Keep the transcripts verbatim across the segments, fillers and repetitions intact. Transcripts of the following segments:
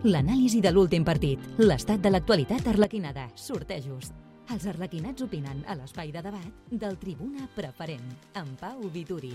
l'anàlisi de l'últim partit, l'estat de l'actualitat arlequinada, sortejos. Els arlequinats opinen a l'espai de debat del Tribuna Preferent, amb Pau Vituri.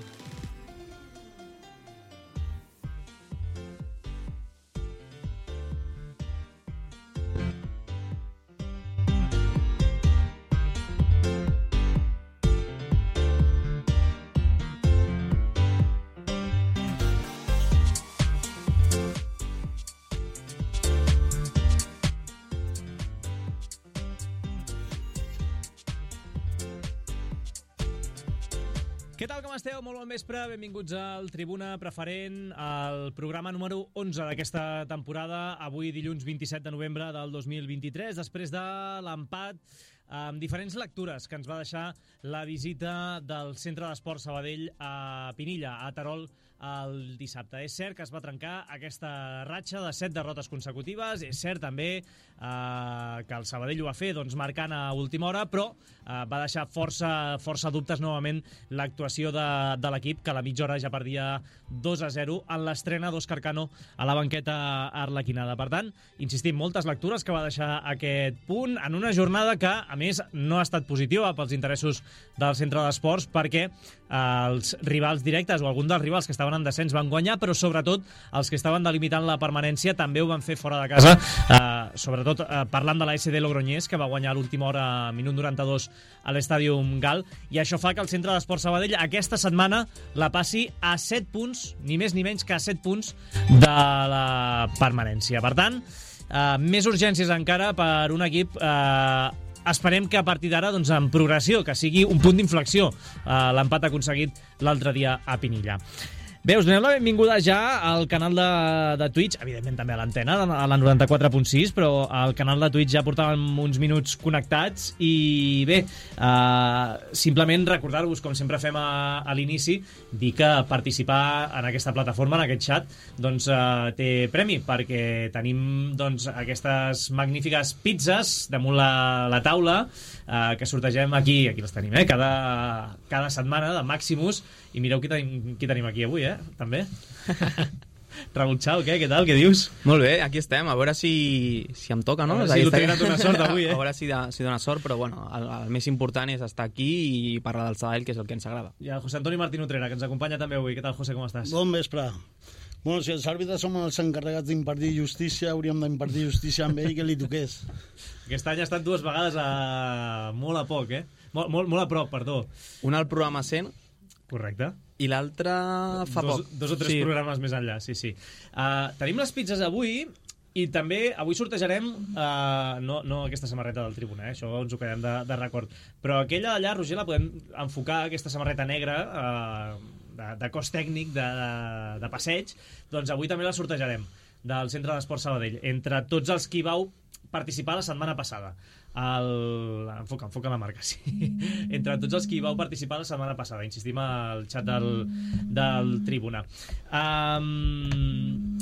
Què tal, com esteu? Molt bon vespre, benvinguts al Tribuna Preferent, el programa número onze d'aquesta temporada, avui dilluns vint-i-set de novembre del dos mil vint-i-tres, després de l'empat amb diferents lectures que ens va deixar la visita del Centre d'Esports Sabadell a Pinilla, a Terol, el dissabte. És cert que es va trencar aquesta ratxa de set derrotes consecutives, és cert també eh, que el Sabadell ho va fer doncs, marcant a última hora, però eh, va deixar força, força dubtes novament l'actuació de, de l'equip, que a la mitja hora ja perdia dos a zero en l'estrena d'Òscar Cano a la banqueta arlequinada. Per tant, insistim, moltes lectures que va deixar aquest punt en una jornada que, a més, no ha estat positiva pels interessos del Centre d'Esports, perquè eh, els rivals directes o algun dels rivals que estaven en descens van guanyar, però sobretot els que estaven delimitant la permanència també ho van fer fora de casa, eh, sobretot eh, parlant de la S D Logroñés, que va guanyar a l'última hora, minut noranta-dos, a l'Estàdium Gal, i això fa que el Centre d'Esports Sabadell aquesta setmana la passi a set punts, ni més ni menys que a set punts de la permanència. Per tant, eh, més urgències encara per un equip eh, esperem que a partir d'ara, doncs, en progressió, que sigui un punt d'inflexió eh, l'empat aconseguit l'altre dia a Pinilla. Bé, us donem la benvinguda ja al canal de, de Twitch, evidentment també a l'antena, a la noranta-quatre punt sis, però al canal de Twitch ja portàvem uns minuts connectats i bé, eh, simplement recordar-vos, com sempre fem a, a l'inici, dir que participar en aquesta plataforma, en aquest xat, doncs eh, té premi, perquè tenim doncs, aquestes magnífiques pizzas damunt la, la taula, eh, que sortegem aquí, aquí les tenim, eh, cada, cada setmana de Maximus, i mireu qui tenim, qui tenim aquí avui, eh? També. Raúl Chao, què? Què tal? Què dius? Molt bé, aquí estem, a veure si, si em toca, no? A veure si l'ho tenen una sort avui, eh? A veure si, de, si dona sort, però bueno, el, el més important és estar aquí i parlar del Sabadell, que és el que ens agrada. I el José Antonio Martín Utrera, que ens acompanya també avui. Què tal, José, com estàs? Bon vespre. Bueno, si els àrbitres som els encarregats d'impartir justícia, hauríem d'impartir justícia amb ell que li toqués. Aquest any ha estat dues vegades a... molt a poc, eh? Molt, molt, molt a prop, perdó. Una al programa cent. Correcte. I l'altre fa dos, poc. Dos o tres sí. programes més enllà, sí, sí. Uh, tenim les pizzas avui i també avui sortejarem, uh, no, no aquesta samarreta del Tribuna, eh? Això ens ho quedem de, de record, però aquella allà, Roger, la podem enfocar, aquesta samarreta negra, uh, de, de cos tècnic, de, de, de passeig, doncs avui també la sortejarem del Centre d'Esports Sabadell, entre tots els qui vau participar la setmana passada. El... Enfoca, enfoca la marca, sí. Entre tots els qui vau participar la setmana passada. Insistim al xat del, del Tribuna. Um...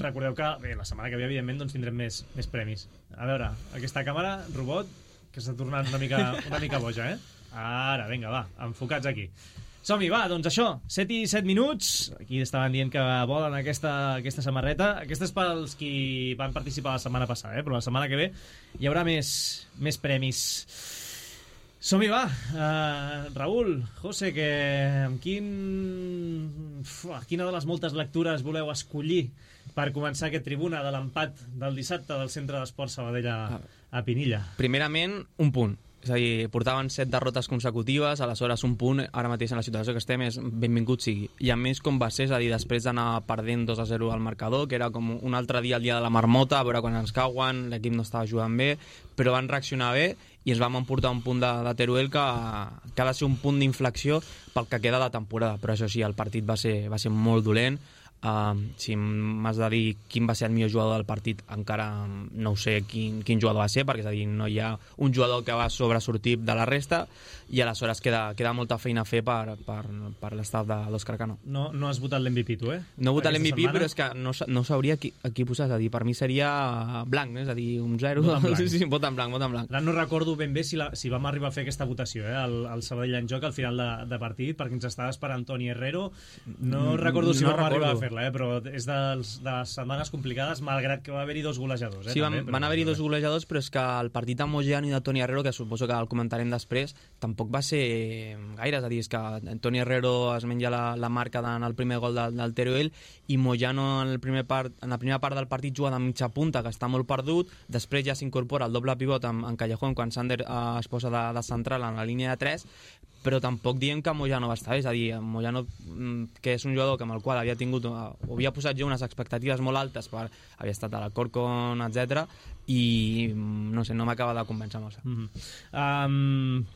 Recordeu que bé, la setmana que ve, evidentment, doncs, tindrem més, més premis. A veure, aquesta càmera, robot, que està tornant una mica, una mica boja, eh? Ara, vinga, va, enfocats aquí. Som-hi, va, doncs això, set i set minuts. Aquí estaven dient que volen aquesta, aquesta samarreta. Aquesta és pels qui van participar la setmana passada, eh? Però la setmana que ve hi haurà més, més premis. Som-hi, va. Uh, Raúl, José, que amb quin... Uf, quina de les moltes lectures voleu escollir per començar aquest Tribuna de l'empat del dissabte del Centre d'Esports Sabadell a, a Pinilla? Primerament, un punt. És a dir, portaven set derrotes consecutives, aleshores un punt, ara mateix en la situació que estem, és benvingut sigui. I a més, com va ser, és a dir, després d'anar perdent dos a zero al marcador, que era com un altre dia, el dia de la marmota, a veure quan ens cauen, l'equip no estava jugant bé, però van reaccionar bé i ens vam emportar un punt de, de Teruel que, que ha de ser un punt d'inflexió pel que queda de temporada. Però això sí, el partit va ser, va ser molt dolent. Uh, si m'has de dir quin va ser el millor jugador del partit, encara no ho sé quin, quin jugador va ser, perquè és a dir, no hi ha un jugador que va sobresortir de la resta i aleshores queda, queda molta feina a fer per, per, per l'estat de l'Òscar Cano. No, no has votat l'M V P, tu, eh? No he votat l'M V P, però és que no, no sabria qui, a qui posar, és a dir, per mi seria blanc, és a dir, un zero. Vot en blanc. Sí, sí, vot en blanc, vot en blanc. Ara no recordo ben bé si, la, si vam arribar a fer aquesta votació, eh? El, el Sabadell en joc al final de, de partit, perquè ens estava esperant Toni Herrero. No recordo si no vam recordo. arribar a fer fer-la, eh? Però és dels, de les setmanes complicades, malgrat que va haver-hi dos golejadors. Eh? Sí, van, també, però... van haver-hi dos golejadors, però és que el partit amb Moyano i de Toni Herrero, que suposo que el comentarem després, tampoc va ser gaire. És a dir, és que Toni Herrero es menja la, la marca en el primer gol del, del Teruel i Moyano en, el primer part, en la primera part del partit juga de mitja punta, que està molt perdut, després ja s'incorpora el doble pivot en, en Callejón quan Sander eh, es posa de, de central en la línia de tres, però tampoc diem que Moyano va estar bé, és a dir, Moyano, que és un jugador que amb el qual havia tingut, o havia posat jo unes expectatives molt altes, per, havia estat a la Corcon, etcètera, i no sé, no m'acaba de convèncer massa. Mm -hmm. um...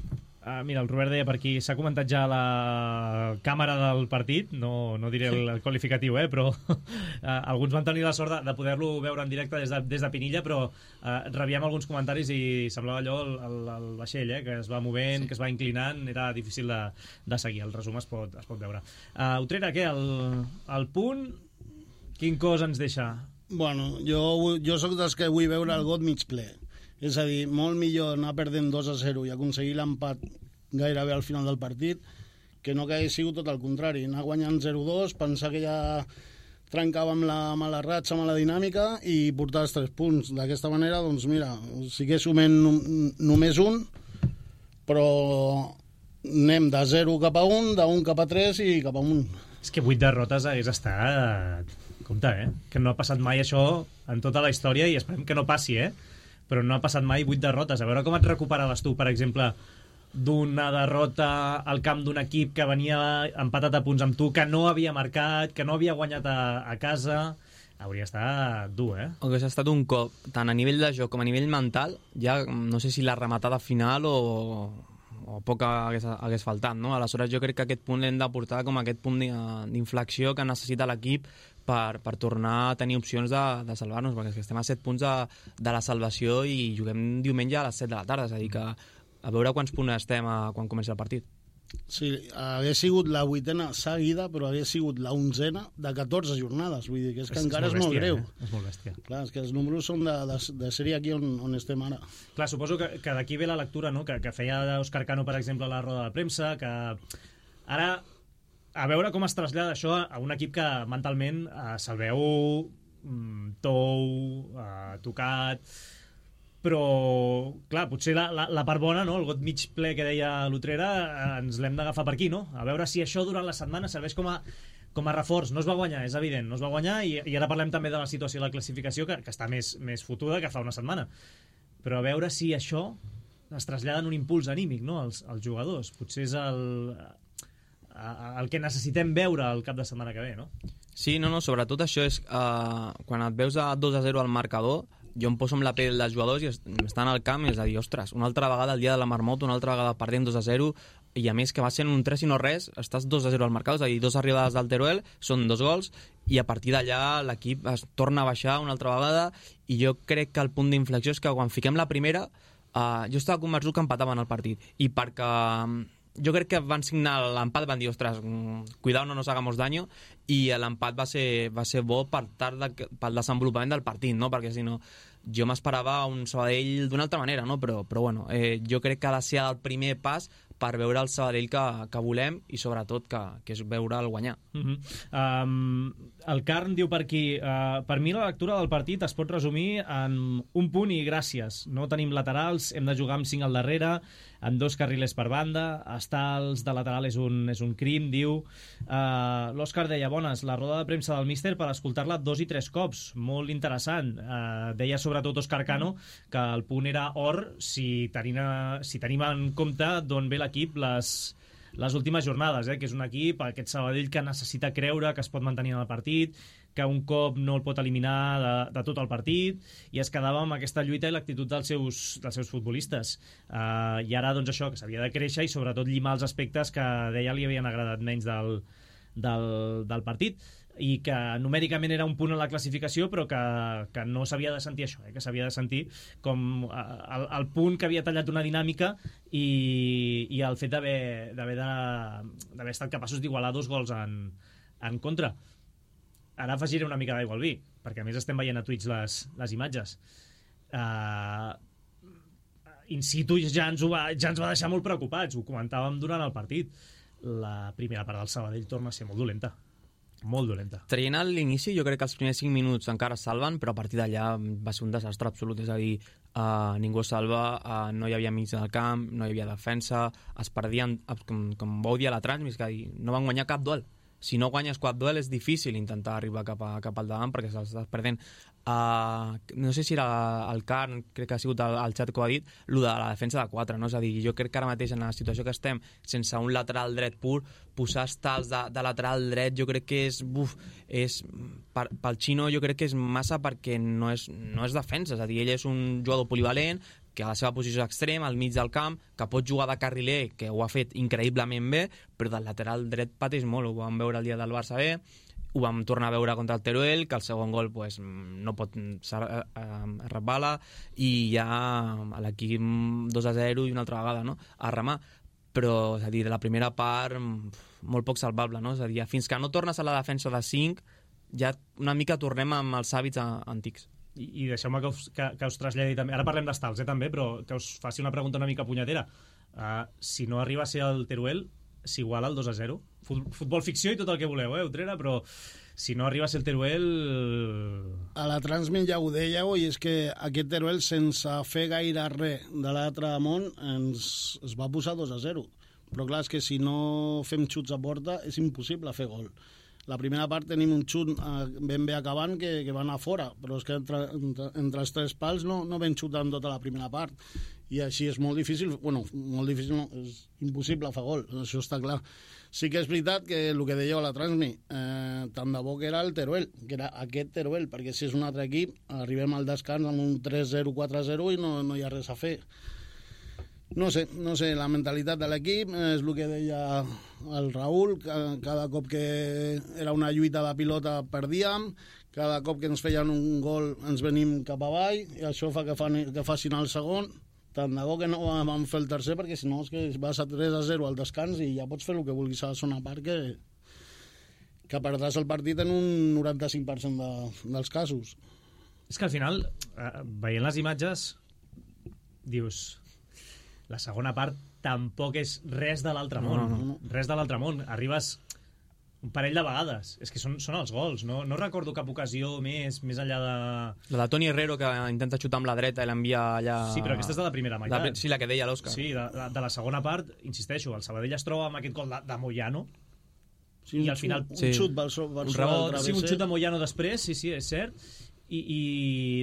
Uh, mira, el Robert deia per aquí, s'ha comentat ja la càmera del partit, no, no diré el, el qualificatiu, eh, però uh, alguns van tenir la sort de, de poder-lo veure en directe des de, des de Pinilla, però uh, rebíem alguns comentaris i semblava allò el, el, el vaixell, eh, que es va movent, sí. que es va inclinant, era difícil de, de seguir, el resum es pot, es pot veure. Uh, Utrera, què? El, el punt, quin cos ens deixa? Bueno, jo, jo sóc dels que vull veure el got mig ple. És a dir, molt millor anar perdent dos a zero i aconseguir l'empat gairebé al final del partit que no que hagués sigut tot el contrari. Anar guanyant zero dos, pensar que ja trencàvem la mala ratxa, mala dinàmica i portar els tres punts. D'aquesta manera, doncs mira, sí que sumem només un, però anem de zero cap a un, d'un cap a tres i cap a un. És que vuit derrotes hagués estat... Compte, eh? Que no ha passat mai això en tota la història i esperem que no passi, eh? Però no ha passat mai vuit derrotes. A veure com et recuperaves tu, per exemple, d'una derrota al camp d'un equip que venia empatat a punts amb tu, que no havia marcat, que no havia guanyat a, a casa. Hauria estat dur, eh? Hauria estat un cop, tant a nivell de joc com a nivell mental, ja no sé si la rematada final o, o poc hagués, hagués faltat, no? Aleshores jo crec que aquest punt l'hem de portar com aquest punt d'inflexió que necessita l'equip per, per tornar a tenir opcions de, de salvar-nos, perquè estem a set punts de, de la salvació i juguem diumenge a les set de la tarda, és a dir que a veure quants punts estem a, quan comença el partit. Sí, hagués sigut la vuitena seguida, però hagués sigut la onzena de catorze jornades, vull dir que és que és, encara és molt, és molt greu. Eh? És molt bèstia. Clar, és que els números són de, de, de sèrie aquí on, on estem ara. Clar, suposo que, que d'aquí ve la lectura, no?, que, que feia Òscar Cano, per exemple, a la roda de premsa, que ara a veure com es trasllada això a un equip que mentalment eh, se'l veu mm, tou, eh, tocat, però, clar, potser la, la, la part bona, no?, el got mig ple que deia l'Utrera, eh, ens l'hem d'agafar per aquí, no? A veure si això durant la setmana serveix com a, com a reforç. No es va guanyar, és evident, no es va guanyar, i, i ara parlem també de la situació de la classificació, que, que està més, més fotuda que fa una setmana. Però a veure si això es trasllada en un impuls anímic, no?, als, als jugadors. Potser és el... el que necessitem veure el cap de setmana que ve, no? Sí, no, no, sobretot això és uh, quan et veus a dos a zero al marcador, jo em poso amb la pell dels jugadors i estan al camp i és a dir, ostres, una altra vegada el dia de la marmota, una altra vegada perdent dos a zero, i a més que va sent un tres i no res, estàs dos a zero al marcador, és a dir, dos arribades del Teruel, són dos gols, i a partir d'allà l'equip es torna a baixar una altra vegada, i jo crec que el punt d'inflexió és que quan fiquem la primera, uh, jo estava convençut que empataven el partit, i perquè jo crec que van signar l'empat, van dir, ostres, cuidao, no nos hagamos daño, i l'empat va ser, va ser bo per tard de, pel desenvolupament del partit, no? Perquè si no, jo m'esperava un Sabadell d'una altra manera, no? Però, però bueno, eh, jo crec que ha de ser el primer pas per veure el Sabadell que, que volem i sobretot que, que és veure el guanyar. Uh-huh. um, el Carn diu per aquí, uh, per mi la lectura del partit es pot resumir en un punt i gràcies. No tenim laterals, hem de jugar amb cinc al darrere, amb dos carrilers per banda, estar els de lateral és un, és un crim, diu. Uh, L'Òscar deia, bones, la roda de premsa del míster per escoltar-la dos i tres cops, molt interessant. Uh, deia sobretot Òscar Cano que el punt era or si tenim, si tenim en compte d'on ve l'equip les, les últimes jornades, eh? Que és un equip, aquest Sabadell, que necessita creure que es pot mantenir en el partit, que un cop no el pot eliminar de, de tot el partit, i es quedava amb aquesta lluita i l'actitud dels seus, dels seus futbolistes. Uh, I ara, doncs, això, que s'havia de créixer i sobretot llimar els aspectes que deia li havien agradat menys del, del, del partit, i que numèricament era un punt en la classificació, però que, que no s'havia de sentir això, eh? Que s'havia de sentir com el, el punt que havia tallat una dinàmica i, i el fet d'haver d'haver estat capaços d'igualar dos gols en, en contra. Ara afegiré una mica d'aigua al vi, perquè a més estem veient a Twitch les, les imatges. Uh, in situ ja ens, va, ja ens va deixar molt preocupats, ho comentàvem durant el partit. La primera part del Sabadell torna a ser molt dolenta. molt dolenta. Traient a l'inici, jo crec que els primers cinc minuts encara es salven, però a partir d'allà va ser un desastre absolut, és a dir, uh, ningú es salva, uh, no hi havia mig del camp, no hi havia defensa, es perdien, com, com vau dir a la Transmis, que dir, no van guanyar cap duel. Si no guanyes cap duel és difícil intentar arribar cap, a, cap al davant perquè s'estàs perdent. Uh, no sé si era el Carn, crec que ha sigut el, el xat que ho ha dit, el de la defensa de quatre, no? És a dir, jo crec que ara mateix en la situació que estem, sense un lateral dret pur, posar estals de, de lateral dret jo crec que és, buf, és per, pel Xino jo crec que és massa perquè no és, no és defensa, és a dir, ell és un jugador polivalent que a la seva posició extrem, al mig del camp, que pot jugar de carriler, que ho ha fet increïblement bé, però del lateral dret pateix molt, ho vam veure el dia del Barça B, ho vam tornar a veure contra el Teruel, que el segon gol pues, no pot ser resbala, i ja a l'equip dos a zero i una altra vegada, no?, a remar. Però, és a dir, de la primera part, molt poc salvable, no? És a dir, fins que no tornes a la defensa de cinc, ja una mica tornem amb els hàbits antics. I, i deixeu-me que us, que, que us traslladi també, ara parlem d'estals, eh, també, però que us faci una pregunta una mica punyetera. Uh, si no arriba a ser el Teruel, s'iguala el dos a zero? Futbol ficció i tot el que voleu, eh, Utrera, però si no arriba a ser el Teruel... A la Transmit ja ho dèieu, i és que aquest Teruel, sense fer gaire res de l'altre món, ens es va posar dos a zero. Però clar, és que si no fem xuts a porta és impossible fer gol. La primera part tenim un xut eh, ben bé acabant que, que va anar fora, però és que entre, entre, entre els tres pals no, no vam xutar en tota la primera part. I així és molt difícil, bueno, molt difícil no, és impossible fer gol, això està clar. Sí que és veritat que el que dèieu a la Transmi, eh, tant de bo que era el Teruel, que era aquest Teruel, perquè si és un altre equip, arribem al descans amb un tres zero, quatre zero i no, no hi ha res a fer. No sé, no sé, la mentalitat de l'equip és el que deia el Raül, que cada cop que era una lluita de pilota perdíem, cada cop que ens feien un gol ens venim cap avall, i això fa que, fan, que facin el segon. Tant de bo que no vam fer el tercer, perquè si no és que vas a tres a zero al descans i ja pots fer el que vulguis a la zona part, que, que perdràs el partit en un noranta-cinc per cent de, dels casos. És que al final, eh, veient les imatges, dius... La segona part tampoc és res de l'altre món. No, no, no. Res de l'altre món. Arribes un parell de vegades. És que són, són els gols. No, no recordo cap ocasió més més enllà de... La de Toni Herrero, que intenta xutar amb la dreta i l'envia allà... Sí, però aquesta és de la primera meitat. La, sí, la que deia l'Òscar. Sí, de, de, de la segona part, insisteixo, el Sabadell es troba amb aquest gol de, de Moyano, sí, i al final... Un, un sí. xut per sobre un rebot, sí, un xut de Moyano després, sí, sí, és cert. I, i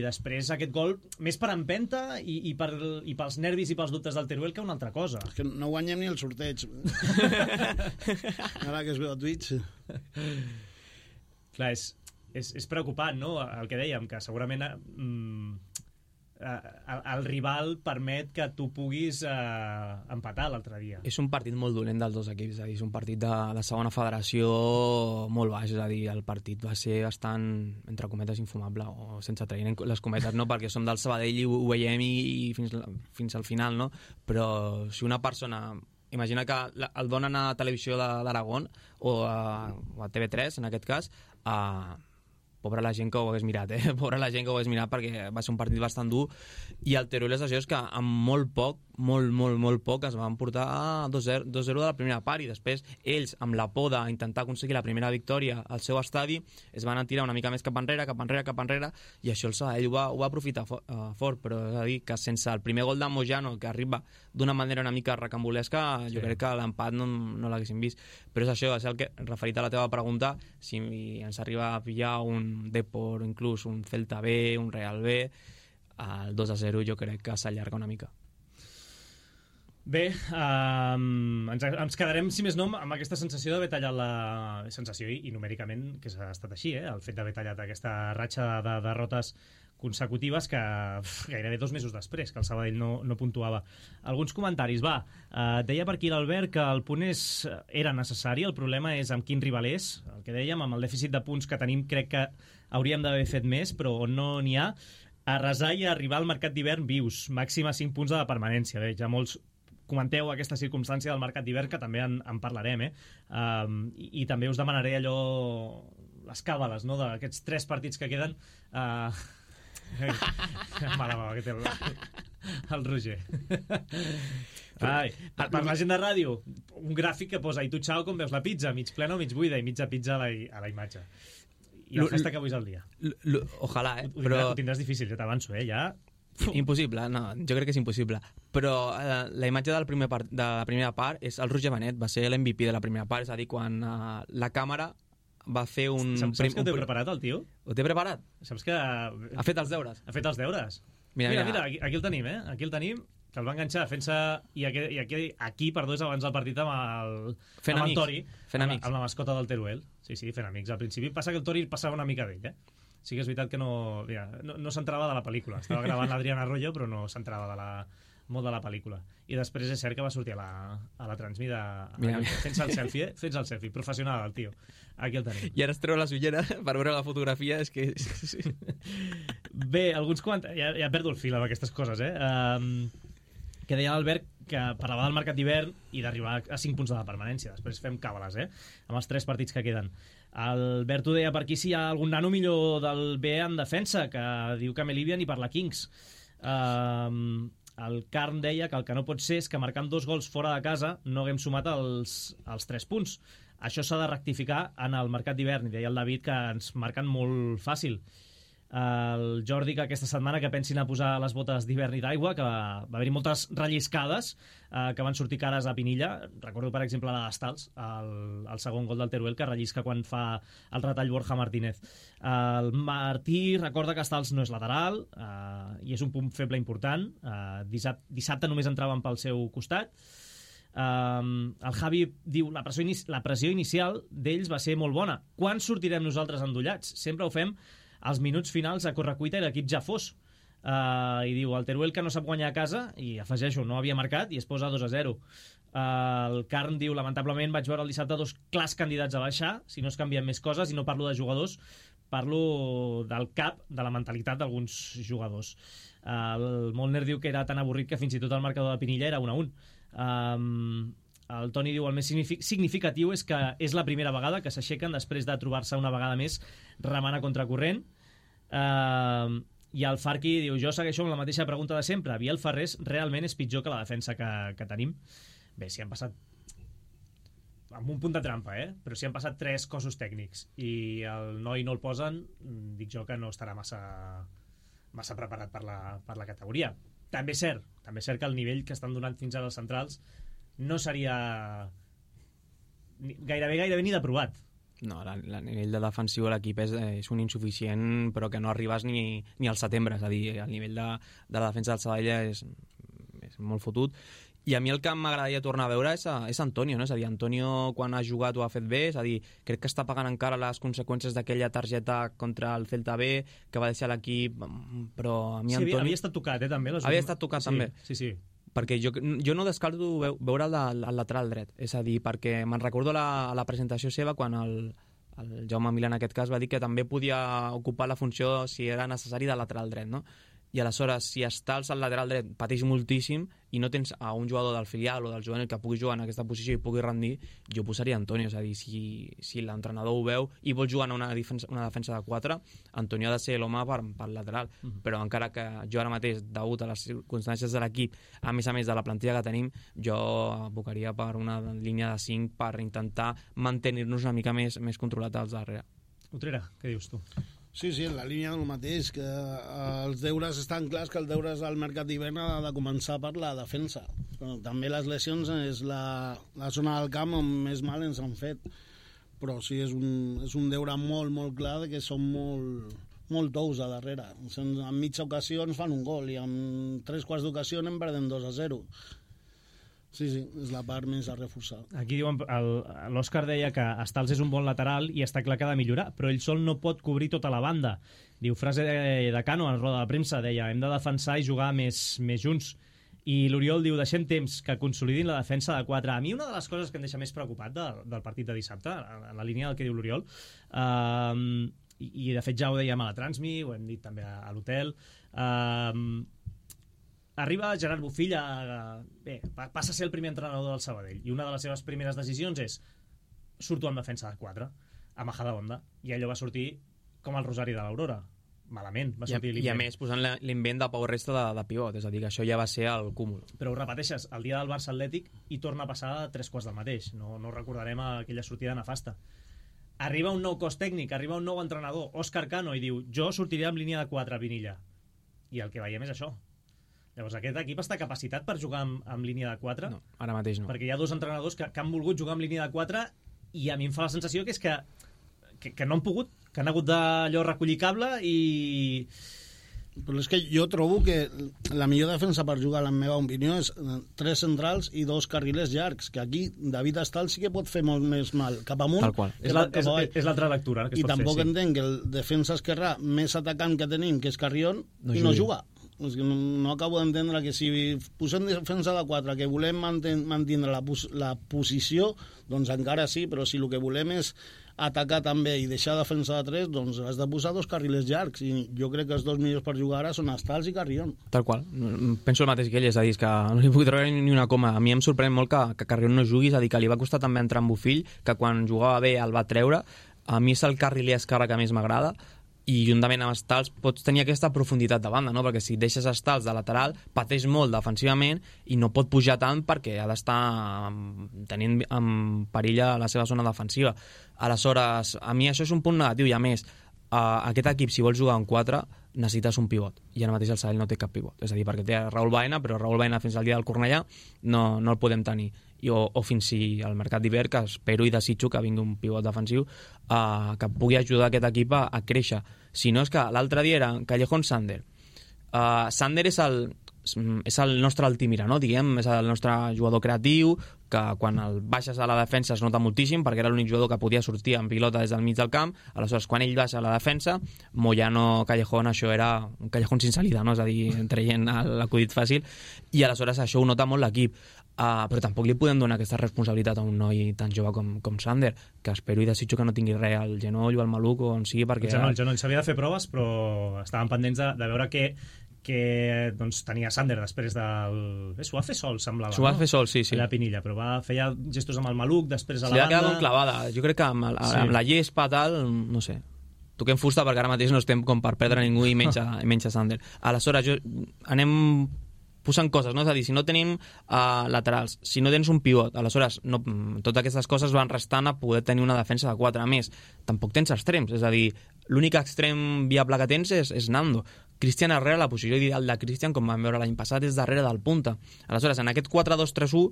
després aquest gol més per empenta i, i, per, i pels nervis i pels dubtes del Teruel que una altra cosa. És que no guanyem ni el sorteig. Ara que es veu a Twitch. Clar, és, és, és preocupant, no?, el que dèiem, que segurament mm, el, el rival permet que tu puguis eh, empatar l'altre dia. És un partit molt dolent dels dos equips, és a dir, és un partit de, de segona federació molt baix, és a dir, el partit va ser bastant, entre cometes, infumable, o sense traient les cometes, no?, perquè som del Sabadell i ho, ho veiem i, i fins, fins al final, no?, però si una persona... Imagina que el donen a Televisió d'Aragón o a, o a T V tres, en aquest cas, a... Pobra la gent que ho hagués mirat, eh? Pobra la gent que ho hagués mirat perquè va ser un partit bastant dur, i el Teruel és això, és que amb molt poc, molt, molt, molt poc es van portar a dos zero de la primera part, i després ells, amb la por d'intentar aconseguir la primera victòria al seu estadi, es van tirar una mica més cap enrere, cap enrere, cap enrere, i això el Sabadell ho va, ho va aprofitar for, uh, fort, però és a dir, que sense el primer gol de Moyano, que arriba d'una manera una mica recambolesca, sí. Jo crec que l'empat no, no l'haguéssim vist. Però és això, és el que, referit a la teva pregunta, si ens arriba a pillar un Depor, inclús un Celta B, un Real B, el dos a zero jo crec que s'allarga una mica. Bé, um, ens, ens quedarem, si més no, amb aquesta sensació d'haver tallat la... sensació i, i numèricament que s'ha estat així, eh? El fet d'haver tallat aquesta ratxa de derrotes consecutives que uf, gairebé dos mesos després que el Sabadell no, no puntuava. Alguns comentaris, va. Uh, deia per aquí l'Albert que el punt és, era necessari, el problema és amb quin rival és, el que dèiem, amb el dèficit de punts que tenim crec que hauríem d'haver fet més, però on no n'hi ha, a resar i a arribar al mercat d'hivern vius, màxim a cinc punts de la permanència. Bé, ja molts comenteu aquesta circumstància del mercat d'hivern, que també en, en parlarem, eh? Um, i, i també us demanaré allò, les càbales, no?, d'aquests tres partits que queden. Uh, Mala mala que té el, el Roger. Ai, per, per la gent de ràdio, un gràfic que posa i tu, xau, com veus la pizza, mig plena o mig buida, i mitja pizza a la, a la imatge. I la festa que avui és el dia. L -l Ojalà, eh? Ho, però... ho tindràs difícil, ja t'avanço, eh? Ja... Impossible, no, jo crec que és impossible. Però eh, la imatge del primer part, de la primera part és el Roger Benet, va ser l'M V P de la primera part, és a dir, quan eh, la càmera va fer un... Saps, saps que ho té preparat, el tio? Ho té preparat? Saps que... Ha fet els deures? Ha fet els deures. Mira, mira, mira, mira aquí, aquí el tenim, eh? Aquí el tenim, que el va enganxar fent-se... I, aquí, i aquí, aquí, perdó, és abans del partit amb el, fent amb amics. el Tori, fent amb, amics. amb la mascota del Teruel. Sí, sí, fent amics al principi. Passa que el Tori passava una mica d'ell, eh? Sí que és veritat que no, mira, no, no s'entrava de la pel·lícula. Estava gravant l'Adriana Arroyo, però no s'entrava de la, molt de la pel·lícula. I després és cert que va sortir a la, a la transmida fent-se el selfie, eh? Fent-se el selfie. Professional, el tio. Aquí el tenim. I ara es treu les ulleres per veure la fotografia, és que... Bé, alguns comentaris... Ja, ja perdo el fil amb aquestes coses, eh? Um, que deia l'Albert que parlava del mercat d'hivern i d'arribar a cinc punts de la permanència. Després fem càbales, eh? Amb els tres partits que queden. Albert ho deia per aquí si hi ha algun nano millor del B en defensa, que diu que Melivia ni per la Kings. Um, el Carn deia que el que no pot ser és que marcant dos gols fora de casa no haguem sumat els, els tres punts. Això s'ha de rectificar en el mercat d'hivern, i deia el David que ens marquen molt fàcil. El Jordi que aquesta setmana que pensin a posar les botes d'hivern i d'aigua, que va, va haver-hi moltes relliscades eh, que van sortir cares a Pinilla. Recordo per exemple la d'Estals, el, el segon gol del Teruel, que rellisca quan fa el retall Borja Martínez. El Martí recorda que Estals no és lateral eh, i és un punt feble important. eh, dissabte, dissabte només entraven pel seu costat. Um, el Javi diu la pressió, inici la pressió inicial d'ells va ser molt bona. Quan sortirem nosaltres endollats? Sempre ho fem als minuts finals a correcuita i l'equip ja fos. Uh, I diu, el Teruel que no sap guanyar a casa, i afegeixo, no havia marcat i es posa dos a zero. Uh, el Carn diu, lamentablement vaig veure el dissabte dos clars candidats a baixar, si no es canvien més coses, i no parlo de jugadors, parlo del cap, de la mentalitat d'alguns jugadors. Uh, el Molner diu que era tan avorrit que fins i tot el marcador de Pinilla era un a un. Um, el Toni diu el més significatiu és que és la primera vegada que s'aixequen després de trobar-se una vegada més remant a contracorrent. Uh, i el Farqui diu, jo segueixo amb la mateixa pregunta de sempre, Biel Ferrés realment és pitjor que la defensa que, que tenim? Bé, si han passat amb un punt de trampa, eh? Però si han passat tres cossos tècnics i el noi no el posen, dic jo que no estarà massa massa preparat per la, per la categoria. També és cert, també és cert que el nivell que estan donant fins ara els centrals no seria gairebé gairebé ni de provat. No, el nivell de defensiu de l'equip és, és un insuficient, però que no arribes ni, ni al setembre, és a dir, el nivell de, de la defensa del Sabadell és, és molt fotut. I a mi el que m'agradaria tornar a veure és, a, és Antonio, no? És a dir, Antonio quan ha jugat ho ha fet bé, és a dir, crec que està pagant encara les conseqüències d'aquella targeta contra el Celta B, que va deixar l'equip, però a mi sí, Antonio... havia, havia estat tocat, eh, també. Les havia últimes... estat tocat, sí, també. Sí, sí. Perquè jo, jo no descarto veure el, de, el lateral dret, és a dir, perquè me'n recordo la, la presentació seva quan el, el Jaume Milà en aquest cas va dir que també podia ocupar la funció si era necessari de lateral dret, no? I aleshores, si estàs al lateral dret, pateix moltíssim i no tens a un jugador del filial o del juvenil que pugui jugar en aquesta posició i pugui rendir, jo posaria Antonio. És a dir, si, si l'entrenador ho veu i vol jugar en una defensa, una defensa de quatre, Antonio ha de ser l'home per, per lateral. Mm-hmm. Però encara que jo ara mateix, degut a les circumstàncies de l'equip, a més a més de la plantilla que tenim, jo abocaria per una línia de cinc per intentar mantenir-nos una mica més, més controlats als darrere. Utrera, què dius tu? Sí, sí, en la línia del mateix, que els deures estan clars, que els deures al mercat d'hivern ha de començar per la defensa. Però també les lesions és la, la zona del camp on més mal ens han fet. Però sí, és un, és un deure molt, molt clar que som molt, molt tous a darrere. En mitja ocasió ens fan un gol i en tres quarts d'ocasió anem perdent dos a zero. Sí, sí, és la part més a reforçar. Aquí diuen, l'Òscar deia que Estals és un bon lateral i està clar que ha de millorar, però ell sol no pot cobrir tota la banda. Diu, frase de, de Cano en roda de premsa, deia, hem de defensar i jugar més, més junts. I l'Oriol diu, deixem temps que consolidin la defensa de quatre. A mi una de les coses que em deixa més preocupat de, del partit de dissabte, en la línia del que diu l'Oriol, eh, i, i de fet ja ho dèiem a la Transmi, ho hem dit també a, a l'hotel, eh, arriba Gerard Bofill a, bé, passa a ser el primer entrenador del Sabadell i una de les seves primeres decisions és surto en defensa de quatre, a Majadahonda, i allò va sortir com el rosari de l'Aurora. malament va I a, sortir i a l'invent. més posant la- l'invent de Pau Resta de, de pivot, és a dir, que això ja va ser el cúmul. Però ho repeteixes, el dia del Barça Atlètic i torna a passar tres quarts del mateix. No, no recordarem aquella sortida nefasta. Arriba un nou cos tècnic, arriba un nou entrenador, Òscar Cano, i diu, jo sortiré amb línia de quatre, Vinilla. I el que veiem és això. Llavors aquest equip està capacitat per jugar amb, amb línia de quatre? No, ara mateix no. Perquè hi ha dos entrenadors que, que han volgut jugar amb línia de quatre i a mi em fa la sensació que és que, que, que no han pogut, que han hagut d'allò recollir cable i... Però és que jo trobo que la millor defensa per jugar, en la meva opinió, és tres centrals i dos carrilers llargs, que aquí David Estal sí que pot fer molt més mal cap amunt. Tal qual. És, la, és, és l'altra lectura que es I pot tampoc fer, sí. entenc que el defensa esquerrà més atacant que tenim, que és Carrion, No i no jugui. juga. És que no, no acabo d'entendre que si posem defensa de quatre, que volem manten, mantindre la, pos, la posició, doncs encara sí, però si el que volem és atacar també i deixar defensa de tres, doncs has de posar dos carrilers llargs, i jo crec que els dos millors per jugar ara són Estals i Carrion. Tal qual. Penso el mateix que ell, és a dir, que no li puc treure ni una coma. A mi em sorprèn molt que, que Carrion no jugui, és a dir, que li va costar també entrar en Bofill, que quan jugava bé el va treure. A mi és el carriler esquerre que més m'agrada, i juntament amb Estals pots tenir aquesta profunditat de banda, no? Perquè si deixes Estals de lateral pateix molt defensivament i no pot pujar tant perquè ha d'estar tenint en perill a la seva zona defensiva. Aleshores, a mi això és un punt negatiu, i a més uh, aquest equip, si vols jugar en quatre, necessites un pivot, i ara mateix el Sabadell no té cap pivot, és a dir, perquè té Raül Baena, però Raül Baena fins al dia del Cornellà no, no el podem tenir. I, o, o fins si al mercat d'hivern, que espero i desitjo que vingui un pivot defensiu uh, que pugui ajudar aquest equip a, a créixer. Si no, és que l'altre dia era Callejón Sander. Uh, Sander és el, és el nostre Altimira, no? Diguem, és el nostre jugador creatiu, que quan el baixes a la defensa es nota moltíssim, perquè era l'únic jugador que podia sortir en pilota des del mig del camp. Aleshores, quan ell baixa a la defensa, Moyano, Callejón, això era un Callejón sin salida, no? És a dir, traient l'acudit fàcil, i aleshores això ho nota molt l'equip. Uh, però tampoc li podem donar aquesta responsabilitat a un noi tan jove com, com Sander, que espero i desitjo que no tingui res al genoll o al maluc o on sigui, perquè... El genoll, el genoll. S'havia de fer proves, però estaven pendents de, de veure què, que doncs, tenia Sander després del... Eh, s'ho va fer sol, semblava. S'ho va no? fer sol, sí, sí. La Pinilla, però va fer ja gestos amb el maluc, després a Se li la ha quedat banda... com clavada. Jo crec que amb, el, Sí. amb la llespa, tal, no sé. Toquem fusta perquè ara mateix no estem com per perdre ningú i menys a, i menys a Sander. Aleshores, jo, anem posant coses, no? És a dir, si no tenim uh, laterals, si no tens un pivot, aleshores no, totes aquestes coses van restant a poder tenir una defensa de quatre. A més, tampoc tens extrems, és a dir, l'únic extrem viable que tens és, és Nando. Cristian Herrera, la posició ideal de Cristian, com vam veure l'any passat, és darrere del punta. Aleshores, en aquest quatre dos tres u,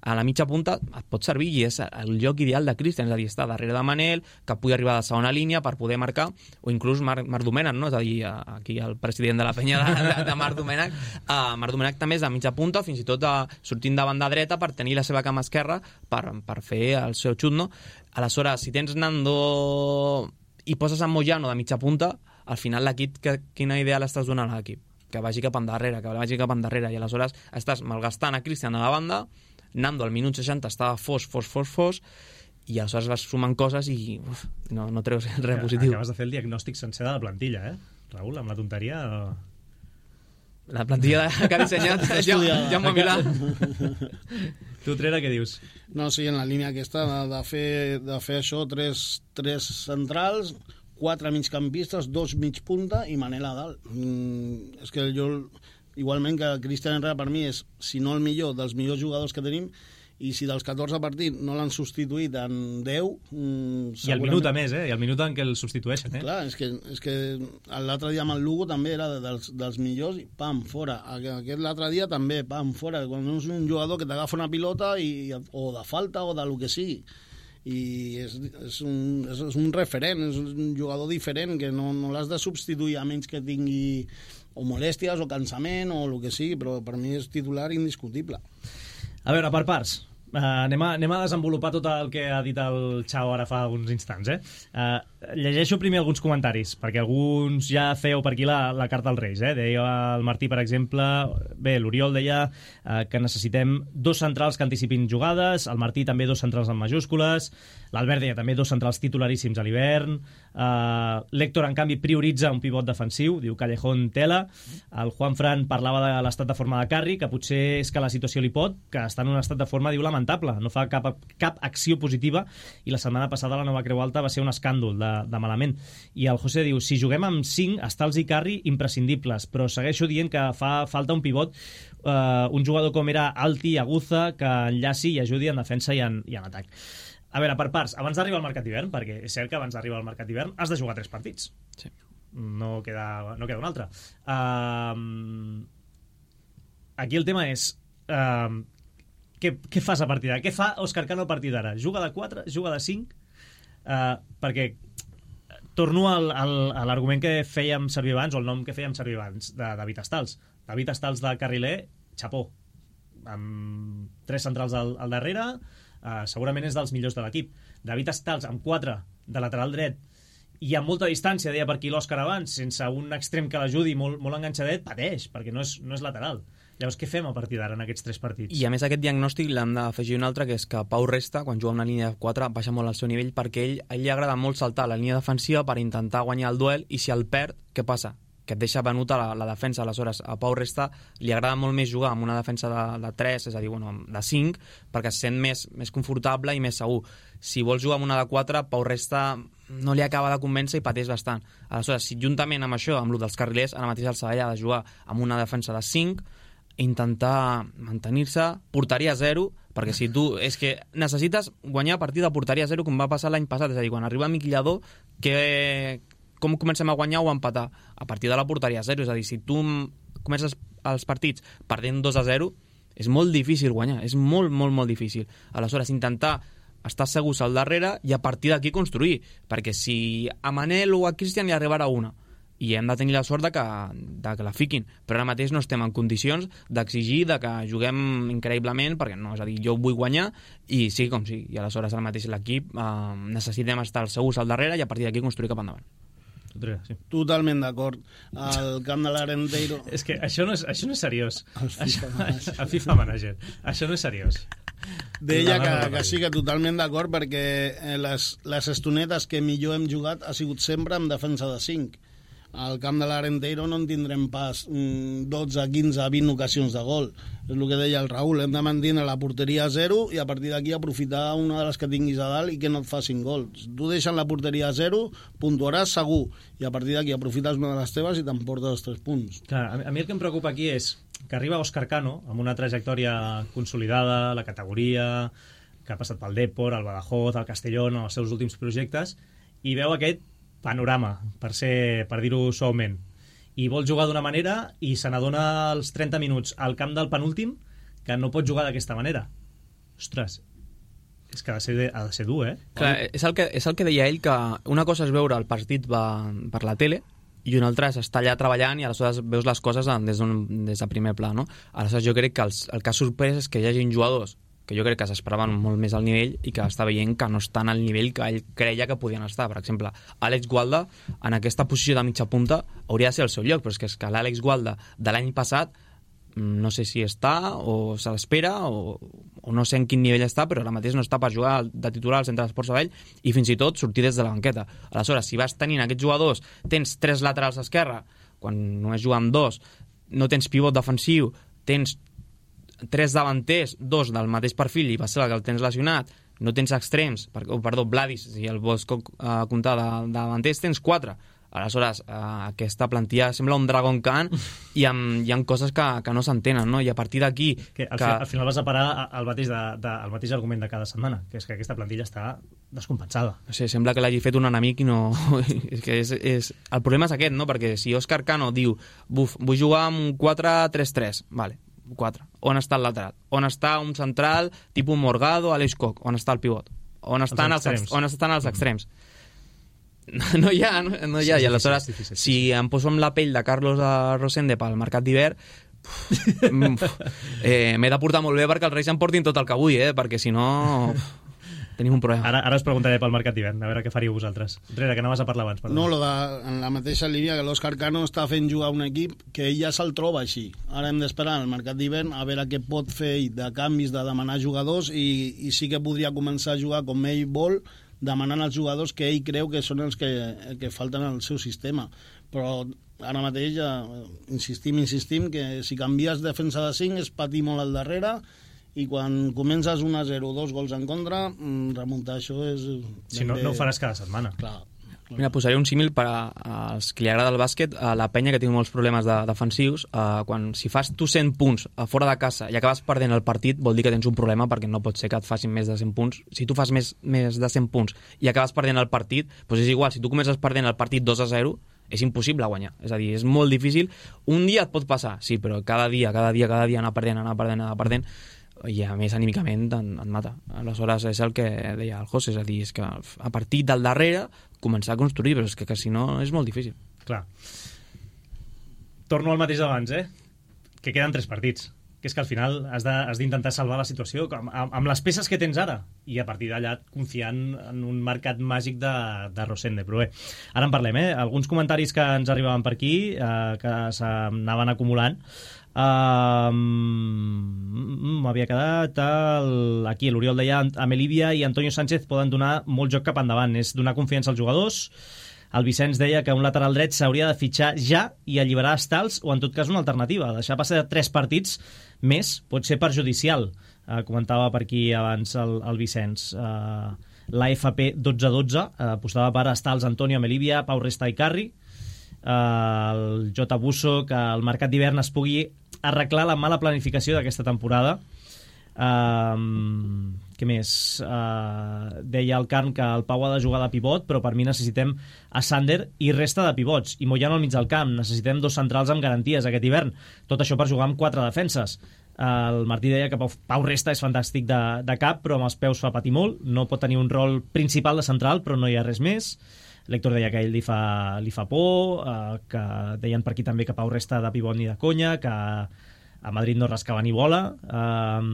a la mitja punta et pot servir i és el lloc ideal de Cristian, és a dir, està darrere de Manel, que pugui arribar a la segona línia per poder marcar, o inclús Marc, Marc Domènech, no? És a dir, aquí el president de la penya de, de, de Marc Domènech, uh, Marc Domènech també és de mitja punta, fins i tot uh, sortint de banda dreta per tenir la seva cama esquerra per, per fer el seu xut, no? Aleshores, si tens Nando i poses en Moyano de mitja punta, al final l'equip, que, quina idea l'estàs donant a l'equip? Que vagi cap endarrere, que vagi cap endarrere, i aleshores estàs malgastant a Cristian a la banda, Nando al minut seixanta estava fos, fos, fos, fos, i aleshores vas sumant coses i uf, no, no treus res positiu. Acabes de fer el diagnòstic sencer de la plantilla, eh? Raül, amb la tonteria... La plantilla que ha dissenyat ja, Jaume Milà. Tu, Trera, què dius? No, sí, en la línia aquesta de, de, fer, de fer això, tres, tres centrals, quatre migcampistes, dos mig punta i Manel a dalt. Mm, és que jo, igualment que Cristian Herrera per mi és, si no el millor, dels millors jugadors que tenim, i si dels catorze partits no l'han substituït en deu... Mm, I el minut a més, eh? I el minut en què el substitueixen, eh? Clar, és que, és que l'altre dia amb el Lugo també era dels, dels millors i pam, fora. Aquest l'altre dia també, pam, fora. Quan és un jugador que t'agafa una pilota i, o de falta o de lo que sigui. I és, és, un, és, és un referent, és un jugador diferent que no, no l'has de substituir a menys que tingui o molèsties o cansament o el que sigui, però per mi és titular indiscutible. A veure, per parts. Uh, anem, a, anem a desenvolupar tot el que ha dit el Xau ara fa uns instants, eh? Uh, llegeixo primer alguns comentaris, perquè alguns ja feu per aquí la, la carta als Reis, eh? Deia el Martí, per exemple, bé, l'Oriol deia uh, que necessitem dos centrals que anticipin jugades, el Martí també dos centrals en majúscules, l'Albert deia també dos centrals titularíssims a l'hivern, uh, Uh, L'Héctor, en canvi, prioritza un pivot defensiu, diu Callejón tela. El Juan Fran parlava de l'estat de forma de Carri, que potser és que la situació li pot, que està en un estat de forma, diu, lamentable, no fa cap, cap acció positiva, i la setmana passada la nova Creu Alta va ser un escàndol de, de malament. I el José diu, si juguem amb cinc, Stals i Carri imprescindibles, però segueixo dient que fa falta un pivot, uh, un jugador com era Alti, Aguza, que enllaci i ajudi en defensa i en, i en atac. A veure, per parts, abans d'arribar al mercat d'hivern, perquè és cert que abans d'arribar al mercat d'hivern has de jugar tres partits. Sí. No queda, no queda un altre. Uh, aquí el tema és uh, què, què fas a partir d'ara? Què fa Òscar Cano a partir d'ara? Juga de quatre? Juga de cinc? Uh, perquè torno al, al, a l'argument que fèiem servir abans, o el nom que fèiem servir abans, de David Stals. David Stals de carriler, xapó. Amb tres centrals al, al darrere, Uh, segurament és dels millors de l'equip. David Stals amb quatre de lateral dret i amb molta distància, deia per aquí l'Òscar abans, sense un extrem que l'ajudi, molt, molt enganxadet, pateix, perquè no és, no és lateral. Llavors, què fem a partir d'ara en aquests tres partits? I a més aquest diagnòstic l'hem d'afegir un altre, que és que Pau Resta, quan juga amb una línia de quatre, baixa molt el seu nivell, perquè ell, a ell li agrada molt saltar la línia defensiva per intentar guanyar el duel, i si el perd, què passa? Que et deixa venut a la, la defensa. Aleshores, a Pau Resta li agrada molt més jugar amb una defensa de, de tres, és a dir, bueno, de cinc, perquè es sent més, més confortable i més segur. Si vols jugar amb una de quatre, Pau Resta no li acaba de convèncer i pateix bastant. Aleshores, si juntament amb això, amb el dels carrilers, ara mateix el Sabadell ha de jugar amb una defensa de cinc, intentar mantenir-se, porteria zero, perquè si tu... És que necessites guanyar a partir de porteria zero, com va passar l'any passat, és a dir, quan arriba Miqui Lladó, que... com comencem a guanyar o a empatar? A partir de la porteria zero, és a dir, si tu comences els partits perdent dos a zero, és molt difícil guanyar, és molt, molt, molt difícil. Aleshores, intentar estar segurs al darrere i a partir d'aquí construir, perquè si a Manel o a Cristian li arribarà una, i hem de tenir la sort de que, de que la fiquin, però ara mateix no estem en condicions d'exigir de que juguem increïblement, perquè no, és a dir, jo vull guanyar i sigui com sigui, i aleshores ara mateix l'equip eh, necessitem estar segurs al darrere i a partir d'aquí construir cap endavant. Sí. Totalment d'acord. Al camp de l'Arenteiro... És que això no és, això no és seriós. El FIFA, això, el FIFA Manager. Això no és seriós. Deia que, que sí, que totalment d'acord, perquè les, les estonetes que millor hem jugat ha sigut sempre amb defensa de cinc. Al camp de l'Arenteiro no en tindrem pas dotze, quinze, vint ocasions de gol. És el que deia el Raül, hem de mantenir la porteria a zero i a partir d'aquí aprofitar una de les que tinguis a dalt i que no et facin gols. Tu deixes la porteria a zero, puntuaràs segur, i a partir d'aquí aprofites una de les teves i t'emportes els tres punts. Clar, a mi el que em preocupa aquí és que arriba Òscar Cano amb una trajectòria consolidada, la categoria, que ha passat pel Depor, el Badajoz, el Castellón, els seus últims projectes, i veu aquest panorama, per ser, per dir-ho suaument, i vol jugar d'una manera i se n'adona als trenta minuts al camp del penúltim que no pot jugar d'aquesta manera. Ostres, és que ha de ser, ha de ser dur, eh? Clar, és el, que, és el que deia ell, que una cosa és veure el partit va, per la tele i una altra és estar allà treballant i aleshores veus les coses des, des de primer pla, no? Aleshores jo crec que els, el que ha sorprès és que hi hagi jugadors que jo crec que s'esperaven molt més al nivell i que està veient que no estan al nivell que ell creia que podien estar. Per exemple, Àlex Gualda, en aquesta posició de mitja punta, hauria de ser el seu lloc, però és que, és que l'Àlex Gualda de l'any passat no sé si està o se l'espera o, o no sé en quin nivell està, però ara mateix no està per jugar de titular al centre d'Esports Sabadell i fins i tot sortir des de la banqueta. Aleshores, si vas tenint aquests jugadors, tens tres laterals a esquerra, quan només juga amb dos, no tens pivot defensiu, tens tres davanters, dos del mateix perfil i va ser el que el tens lesionat, no tens extrems, per, oh, perdó, Vladis, si el vols uh, comptar de, de davanters, tens quatre. Aleshores, uh, aquesta plantilla sembla un Dragon Khan i amb, hi ha coses que, que no s'entenen, no? I a partir d'aquí... Que al, que... Fi, al final vas a parar el mateix, de, de, el mateix argument de cada setmana, que és que aquesta plantilla està descompensada. No sé, sembla que l'hagi fet un enemic i no... és que és, és... El problema és aquest, no? Perquè si Òscar Cano diu buf, vull jugar amb un quatre tres tres, vale, quatre. On està el lateral? On està un central tipus Morgado, Aleix Koch? On està el pivot? On estan els, els, on estan els extrems? No, no hi ha, no, no hi ha. Sí, I aleshores, sí, sí, sí, sí, sí. Si em poso amb la pell de Carlos Rosende pel mercat d'hivern, eh, m'he de portar molt bé perquè els Reis em portin tot el que vull, eh? Perquè si no... tenim un problema. Ara, ara us preguntaré pel mercat d'hivern, a veure què faríeu vosaltres. Rere, que anaves a parlar abans. Perdó. No, lo de, en la mateixa línia que l'Òscar Cano està fent jugar un equip que ell ja se'l troba així. Ara hem d'esperar al mercat d'hivern a veure què pot fer ell de canvis, de demanar jugadors i, i sí que podria començar a jugar com ell vol, demanant als jugadors que ell creu que són els que, que falten al seu sistema. Però ara mateix ja insistim, insistim, que si canvies defensa de cinc és patir molt al darrere, i quan comences un a zero, dos gols en contra, remuntar això és... Si no, no ho faràs cada setmana. Clar. Mira, posaré un símil per a, als que li agrada el bàsquet, a la penya que té molts problemes de, defensius. Uh, quan si fas tu cent punts a fora de casa i acabes perdent el partit, vol dir que tens un problema, perquè no pot ser que et facin més de cent punts. Si tu fas més, més de cent punts i acabes perdent el partit, doncs és igual. Si tu comences perdent el partit dos a zero, és impossible guanyar. És a dir, és molt difícil. Un dia et pot passar, sí, però cada dia, cada dia, cada dia anar perdent, anar perdent, anar perdent, i a més anímicament et, et mata. Aleshores és el que deia el José, és a dir, és que a partir del darrere començar a construir, però és que, que si no és molt difícil. Clar. Torno al mateix d'abans, eh? Que queden tres partits, que és que al final has d'intentar salvar la situació amb, amb les peces que tens ara, i a partir d'allà confiant en un mercat màgic de, de Rosende. Però bé, ara en parlem, eh? Alguns comentaris que ens arribaven per aquí, eh, que s'anaven acumulant. Uh, m'havia quedat el... aquí l'Oriol deia a Melívia i Antonio Sánchez poden donar molt joc cap endavant, és donar confiança als jugadors. El Vicenç deia que un lateral dret s'hauria de fitxar ja i alliberar Stals, o en tot cas una alternativa, deixar passar tres partits més pot ser perjudicial. Uh, comentava per aquí abans el, el Vicenç. uh, l'A F P dotze dotze uh, apostava per Stals, Antonio, Melívia, Pau Resta i Carri. Uh, el J. Busso, que el mercat d'hivern es pugui arreglar la mala planificació d'aquesta temporada. Uh, què més? Uh, deia el Carn que el Pau ha de jugar de pivot, però per mi necessitem a Sander i resta de pivots, i Moyano al mig del camp. Necessitem dos centrals amb garanties aquest hivern, tot això per jugar amb quatre defenses. Uh, el Martí deia que Pau, Pau Resta és fantàstic de, de cap, però amb els peus fa patir molt, no pot tenir un rol principal de central, però no hi ha res més. L'Héctor deia que a ell li fa, li fa por, eh, que deien per aquí també que Pau Resta de pivot ni de conya, que a Madrid no rascava ni bola. Eh,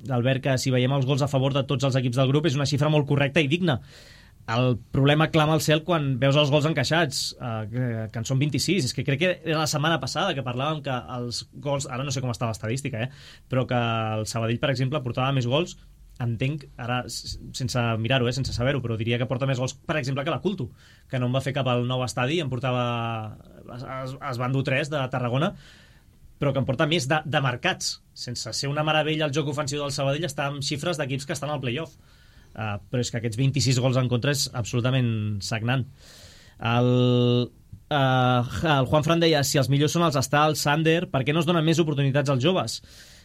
L'Albert, que si veiem els gols a favor de tots els equips del grup és una xifra molt correcta i digna. El problema clama al cel quan veus els gols encaixats, eh, que, que en són vint-i-sis. És que crec que era la setmana passada que parlàvem que els gols, ara no sé com està l'estadística, eh, però que el Sabadell, per exemple, portava més gols. Entenc, ara sense mirar-ho, eh, sense saber-ho, però diria que porta més gols, per exemple, que la Culto, que no em va fer cap al nou estadi, em portava es, es van dur tres de Tarragona, però que em porta més de, de marcats. Sense ser una meravella el joc ofensiu del Sabadell, està amb xifres d'equips que estan al play-off. Uh, però és que aquests vint-i-sis gols en contra és absolutament sagnant. El, uh, el Juan Fran deia, si els millors són els Stals, Sander, per què no es donen més oportunitats als joves?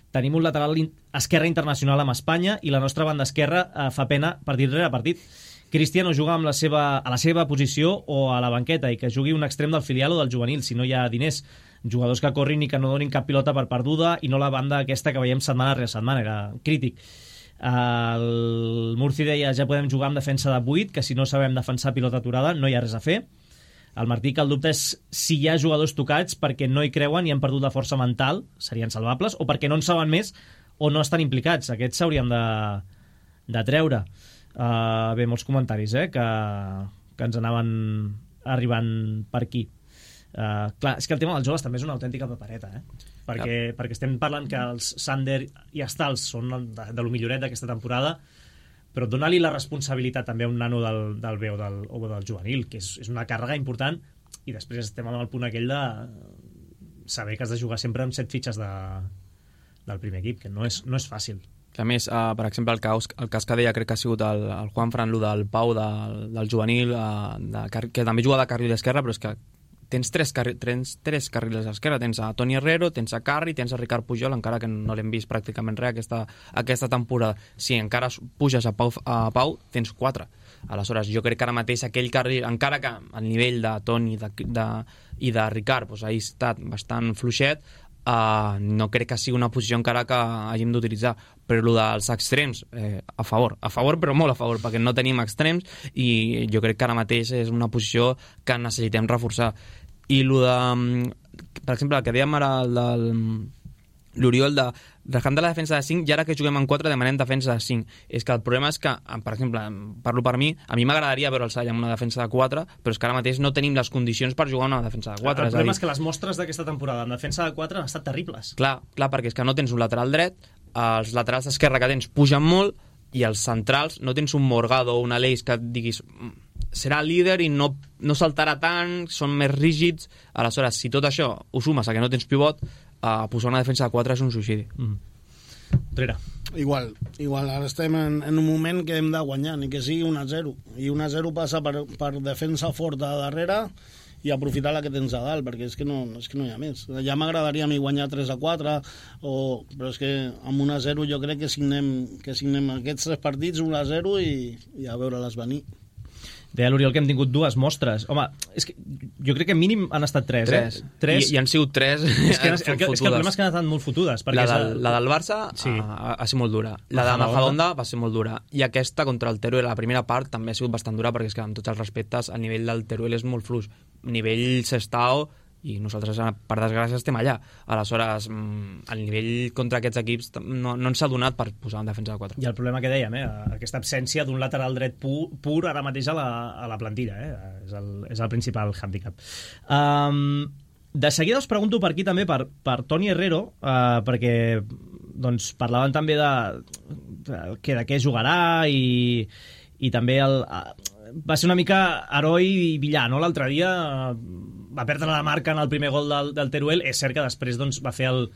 Tenim un lateral esquerre internacional amb Espanya i la nostra banda esquerra eh, fa pena partit rere partit. Cristiano juga amb la seva, a la seva posició o a la banqueta, i que jugui un extrem del filial o del juvenil, si no hi ha diners. Jugadors que corrin i que no donin cap pilota per perduda, i no la banda aquesta que veiem setmana rere setmana, era crític. El Murci deia, ja podem jugar amb defensa de vuit, que si no sabem defensar pilota aturada no hi ha res a fer. El Martí, que el dubte és si hi ha jugadors tocats perquè no hi creuen i han perdut la força mental, serien salvables, o perquè no en saben més o no estan implicats. Aquests s'haurien de, de treure. Uh, bé, molts comentaris eh, que, que ens anaven arribant per aquí. Uh, clar, és que el tema dels joves també és una autèntica papereta, eh? perquè, ja. perquè estem parlant que els Sander i Stals són de, de lo milloret d'aquesta temporada, però dona-li la responsabilitat també a un nano del, del B o del, o del juvenil, que és, és una càrrega important, i després estem amb el punt aquell de saber que has de jugar sempre amb set fitxes de, del primer equip, que no és, no és fàcil. Que a més, uh, per exemple, el cas, el cas que deia crec que ha sigut el, el Juan Fran, el del Pau, del, del juvenil, uh, de, que també juga de carril esquerre, però és que tens tres, carri tens tres carrils a l'esquerra, tens a Toni Herrero, tens a Carri, tens a Ricard Pujol, encara que no l'hem vist pràcticament res aquesta, aquesta temporada. Si encara puges a Pau, a Pau, tens quatre. Aleshores, jo crec que ara mateix aquell carril, encara que al nivell de Toni de, de, i de Ricard doncs, ha estat bastant fluixet, uh, no crec que sigui una posició encara que hàgim d'utilitzar. Però el dels extrems, eh, a favor, a favor però molt a favor, perquè no tenim extrems i jo crec que ara mateix és una posició que necessitem reforçar. I el de, per exemple, el que dèiem ara del l'Oriol de dejant de la defensa de cinc, i ara que juguem en quatre demanem defensa de cinc. És que el problema és que, per exemple, parlo per mi, a mi m'agradaria veure el Sall amb una defensa de quatre, però és que ara mateix no tenim les condicions per jugar una defensa de quatre. El problema és, és que les mostres d'aquesta temporada en defensa de quatre han estat terribles. Clar, clar, perquè és que no tens un lateral dret, els laterals d'esquerra que tens pugen molt, i els centrals no tens un Morgado o un Aleix que et diguis serà líder i no, no saltarà tant, són més rígids. Aleshores, si tot això ho sumes a que no tens pivot, eh, posar una defensa de quatre és un suïcidi. Mm. Trera. Igual, igual, ara estem en, en un moment que hem de guanyar, ni que sigui un a zero, i un a zero passa per, per defensa forta a darrere i aprofitar la que tens a dalt, perquè és que no, és que no hi ha més. Ja m'agradaria a mi guanyar tres a quatre, o, però és que amb un a zero jo crec que signem, que signem aquests tres partits un a zero i, i a veure-les venir. Deia l'Oriol que hem tingut dues mostres. Home, és que jo crec que mínim han estat tres. Tres. Eh? tres. I, I han sigut tres és que, és, que, és que el problema és que han estat molt fotudes. La del, la del Barça sí. ha, ha sigut molt dura. La de Majadahonda va ser molt dura. I aquesta contra el Teruel, la primera part, també ha sigut bastant dura, perquè és que amb tots els respectes, el nivell del Teruel és molt fluix. Nivell Sestao, i nosaltres, per desgràcia, estem allà. Aleshores, el nivell contra aquests equips no, no ens s'ha donat per posar en defensa de quatre. I el problema que dèiem, eh? Aquesta absència d'un lateral dret pur, pur ara mateix a la, a la plantilla, eh? és, el, és el principal hàndicap. Um, de seguida us pregunto per aquí també per, per Toni Herrero, uh, perquè doncs, parlaven també de, de, que de què jugarà i, i també el, uh, va ser una mica heroi i Villar, no? L'altre dia uh, va perdre la marca en el primer gol del, del Teruel. És cert que després doncs, va fer el,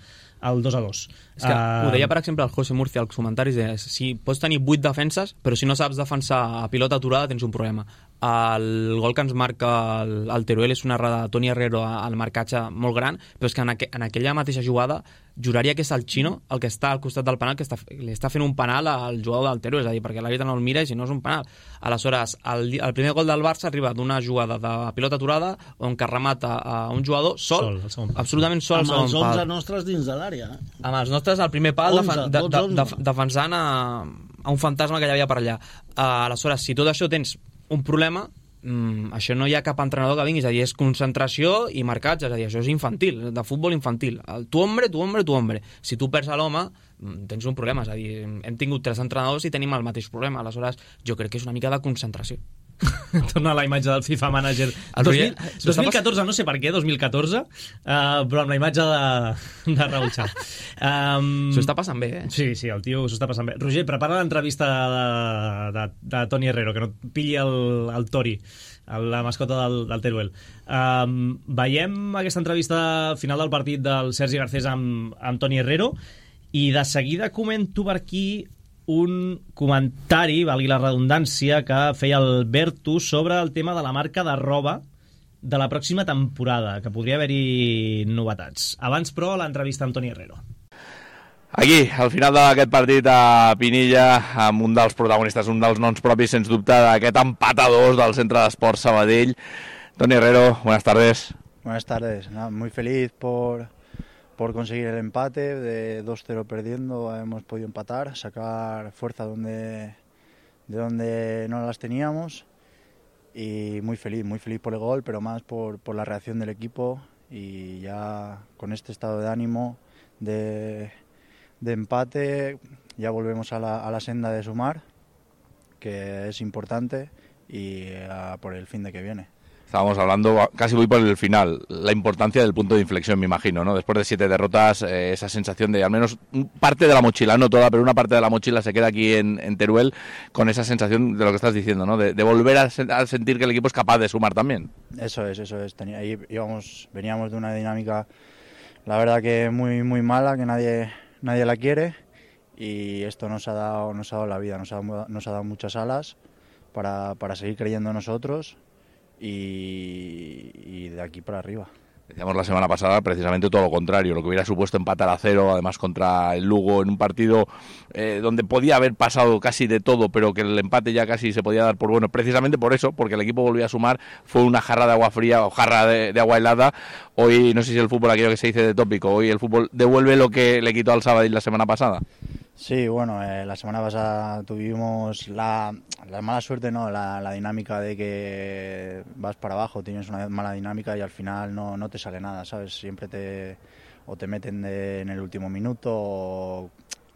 el dos a dos. És que uh... ho deia, per exemple, el José Murcia als comentaris, de, si pots tenir vuit defenses, però si no saps defensar a pilota aturada tens un problema. El gol que ens marca el, el Teruel és una errada de Toni Herrero al marcatge molt gran, però és que en, aqu en aquella mateixa jugada juraria que és el Chino el que està al costat del penal, que està, li està fent un penal al jugador del Teruel, és a dir, perquè l'àrbitre no el mira i si no és un penal. Aleshores, el, el primer gol del Barça arriba d'una jugada de pilota aturada on que remata a un jugador sol, sol absolutament sol, amb els onze nostres dins de l'àrea. Eh? Amb els nostres al primer pal onze, de, de, de, de, defensant a, a un fantasma que hi havia per allà. Uh, aleshores, si tot això tens un problema, mm, això no hi ha cap entrenador que vingui, és a dir, és concentració i marcatge, és a dir, això és infantil, de futbol infantil. El, tu hombre, tu hombre, tu hombre. Si tu perds a l'home, tens un problema, és a dir, hem tingut tres entrenadors i tenim el mateix problema, aleshores jo crec que és una mica de concentració. Torna a la imatge del FIFA Manager dos mil, dos mil catorze, no sé per què dos mil catorze, uh, però amb la imatge de, de Raúl Chao. um, S'ho està passant bé, eh? Sí, sí, el tio s'ho està passant bé. Roger, prepara l'entrevista de, de, de Toni Herrero, que no et pilli el, el Tori, la mascota del, del Teruel. Um, veiem aquesta entrevista final del partit del Sergi Garcés amb, amb Toni Herrero, i de seguida comento per aquí un comentari, valgui la redundància, que feia el Bertu sobre el tema de la marca de roba de la pròxima temporada, que podria haver-hi novetats. Abans, però, l'entrevista amb Toni Herrero. Aquí, al final d'aquest partit a Pinilla, amb un dels protagonistes, un dels noms propis, sens dubte, d'aquest empat a dos del Centre d'Esports Sabadell. Toni Herrero, buenas tardes. Buenas tardes, no, muy feliz por... por conseguir el empate, de dos cero perdiendo hemos podido empatar, sacar fuerza donde, de donde no las teníamos, y muy feliz, muy feliz por el gol, pero más por, por la reacción del equipo, y ya con este estado de ánimo de, de empate ya volvemos a la, a la senda de sumar, que es importante, y a por el fin de que viene. Estábamos hablando, casi voy por el final, la importancia del punto de inflexión, me imagino, ¿no? Después de siete derrotas, eh, esa sensación de al menos parte de la mochila, no toda, pero una parte de la mochila se queda aquí en, en Teruel con esa sensación de lo que estás diciendo, ¿no? De, de volver a, a sentir que el equipo es capaz de sumar también. Eso es, eso es. Tenía, íbamos, veníamos de una dinámica, la verdad que muy, muy mala, que nadie, nadie la quiere, y esto nos ha dado, nos ha dado la vida, nos ha, nos ha dado muchas alas para, para seguir creyendo en nosotros. Y, y de aquí para arriba. Decíamos la semana pasada precisamente todo lo contrario, lo que hubiera supuesto empatar a cero, además contra el Lugo, en un partido eh, donde podía haber pasado casi de todo, pero que el empate ya casi se podía dar por bueno, precisamente por eso, porque el equipo volvía a sumar, fue una jarra de agua fría o jarra de, de agua helada. Hoy, no sé si el fútbol, aquello que se dice de tópico, hoy el fútbol devuelve lo que le quitó al Sabadell la semana pasada. Sí, bueno, eh, la semana pasada tuvimos la, la mala suerte, no, la, la dinámica de que vas para abajo, tienes una mala dinámica y al final no, no te sale nada, ¿sabes? Siempre te o te meten de, en el último minuto o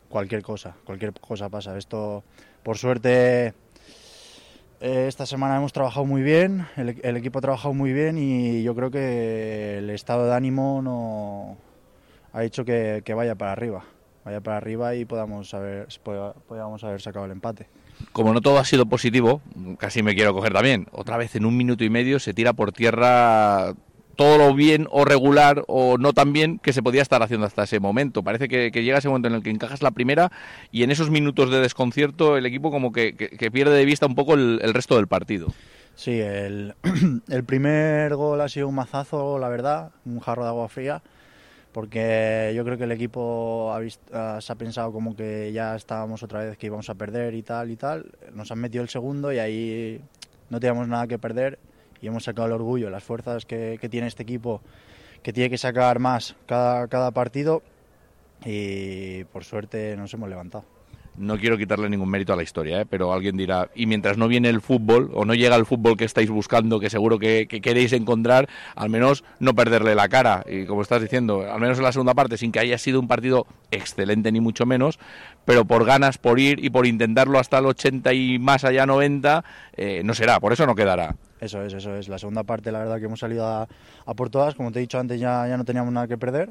cualquier cosa, cualquier cosa pasa. Esto, por suerte, eh, esta semana hemos trabajado muy bien, el, el equipo ha trabajado muy bien y yo creo que el estado de ánimo no ha hecho que, que vaya para arriba. vaya para arriba y podamos haber, podamos haber sacado el empate. Como no todo ha sido positivo, casi me quiero coger también. Otra vez en un minuto y medio se tira por tierra todo lo bien o regular o no tan bien que se podía estar haciendo hasta ese momento. Parece que, que llega ese momento en el que encajas la primera y en esos minutos de desconcierto el equipo como que, que, que pierde de vista un poco el, el resto del partido. Sí, el, el primer gol ha sido un mazazo, la verdad, un jarro de agua fría, porque yo creo que el equipo ha visto, se ha pensado como que ya estábamos otra vez, que íbamos a perder y tal y tal. Nos han metido el segundo y ahí no teníamos nada que perder y hemos sacado el orgullo, las fuerzas que, que tiene este equipo, que tiene que sacar más cada, cada partido, y por suerte nos hemos levantado. No quiero quitarle ningún mérito a la historia, ¿eh? Pero alguien dirá, y mientras no viene el fútbol, o no llega el fútbol que estáis buscando, que seguro que, que queréis encontrar, al menos no perderle la cara. Y como estás diciendo, al menos en la segunda parte, sin que haya sido un partido excelente ni mucho menos, pero por ganas, por ir y por intentarlo hasta el ochenta y más allá noventa, eh, no será, por eso no quedará. Eso es, eso es. La segunda parte, la verdad que hemos salido a, a por todas, como te he dicho antes, ya, ya no teníamos nada que perder.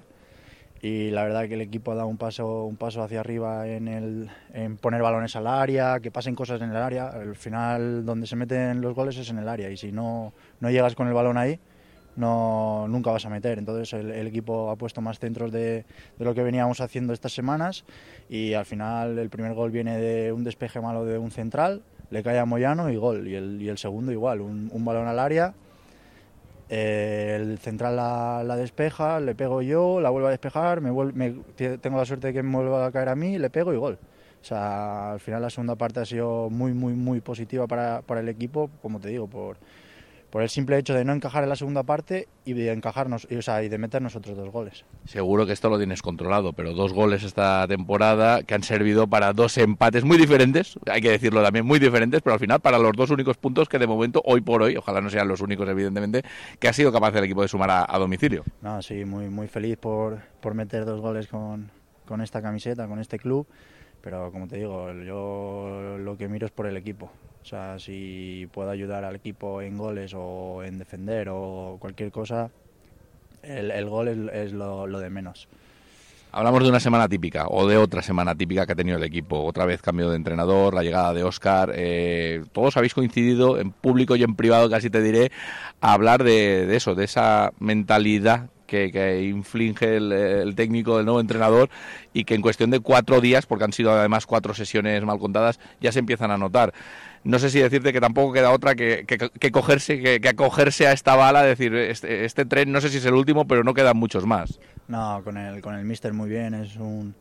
Y la verdad que el equipo ha dado un paso, un paso hacia arriba en, el, en poner balones al área, que pasen cosas en el área. Al final, donde se meten los goles es en el área, y si no, no llegas con el balón ahí, no, nunca vas a meter. Entonces el, el equipo ha puesto más centros de, de lo que veníamos haciendo estas semanas, y al final el primer gol viene de un despeje malo de un central, le cae a Moyano y gol. Y el, y el segundo igual, un, un balón al área. Eh, el central la, la despeja, le pego yo, la vuelvo a despejar, me, vuelve, me tengo la suerte de que me vuelva a caer a mí, le pego y gol. O sea, al final la segunda parte ha sido muy, muy, muy positiva para, para el equipo, como te digo, por, por el simple hecho de no encajar en la segunda parte y de encajarnos, y, o sea, y de meter nosotros dos goles. Seguro que esto lo tienes controlado, pero dos goles esta temporada que han servido para dos empates muy diferentes, hay que decirlo también, muy diferentes, pero al final para los dos únicos puntos que de momento, hoy por hoy, ojalá no sean los únicos evidentemente, que ha sido capaz el equipo de sumar a, a domicilio. No, sí, muy, muy feliz por, por meter dos goles con, con esta camiseta, con este club, pero como te digo, yo lo que miro es por el equipo. O sea, si puedo ayudar al equipo en goles o en defender o cualquier cosa, el, el gol es, es lo, lo de menos. Hablamos de una semana típica, o de otra semana típica que ha tenido el equipo. Otra vez cambio de entrenador, la llegada de Óscar. Eh, todos habéis coincidido, en público y en privado casi te diré, a hablar de, de eso, de esa mentalidad que, que inflige el, el técnico, el nuevo entrenador, y que en cuestión de cuatro días, porque han sido además cuatro sesiones mal contadas, ya se empiezan a notar. No sé si decirte que tampoco queda otra que, que, que cogerse que, que acogerse a esta bala, decir, este, este tren no sé si es el último, pero no quedan muchos más. No, con el, con el míster muy bien, es un,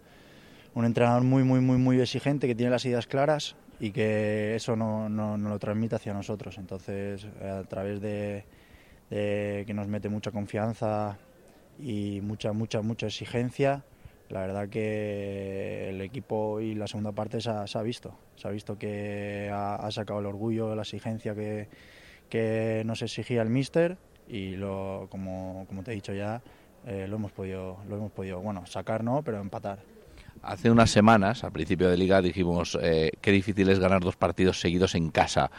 un entrenador muy, muy, muy, muy exigente, que tiene las ideas claras y que eso no, no, no lo transmite hacia nosotros. Entonces, a través de, de que nos mete mucha confianza y mucha, mucha, mucha exigencia, la verdad que el equipo y la segunda parte se ha, se ha visto. Se ha visto que ha, ha sacado el orgullo, la exigencia que, que nos exigía el míster, y lo, como, como te he dicho ya, eh, lo hemos podido, lo hemos podido, bueno, sacar no, pero empatar. Hace unas semanas, al principio de Liga, dijimos eh, qué difícil es ganar dos partidos seguidos en casa.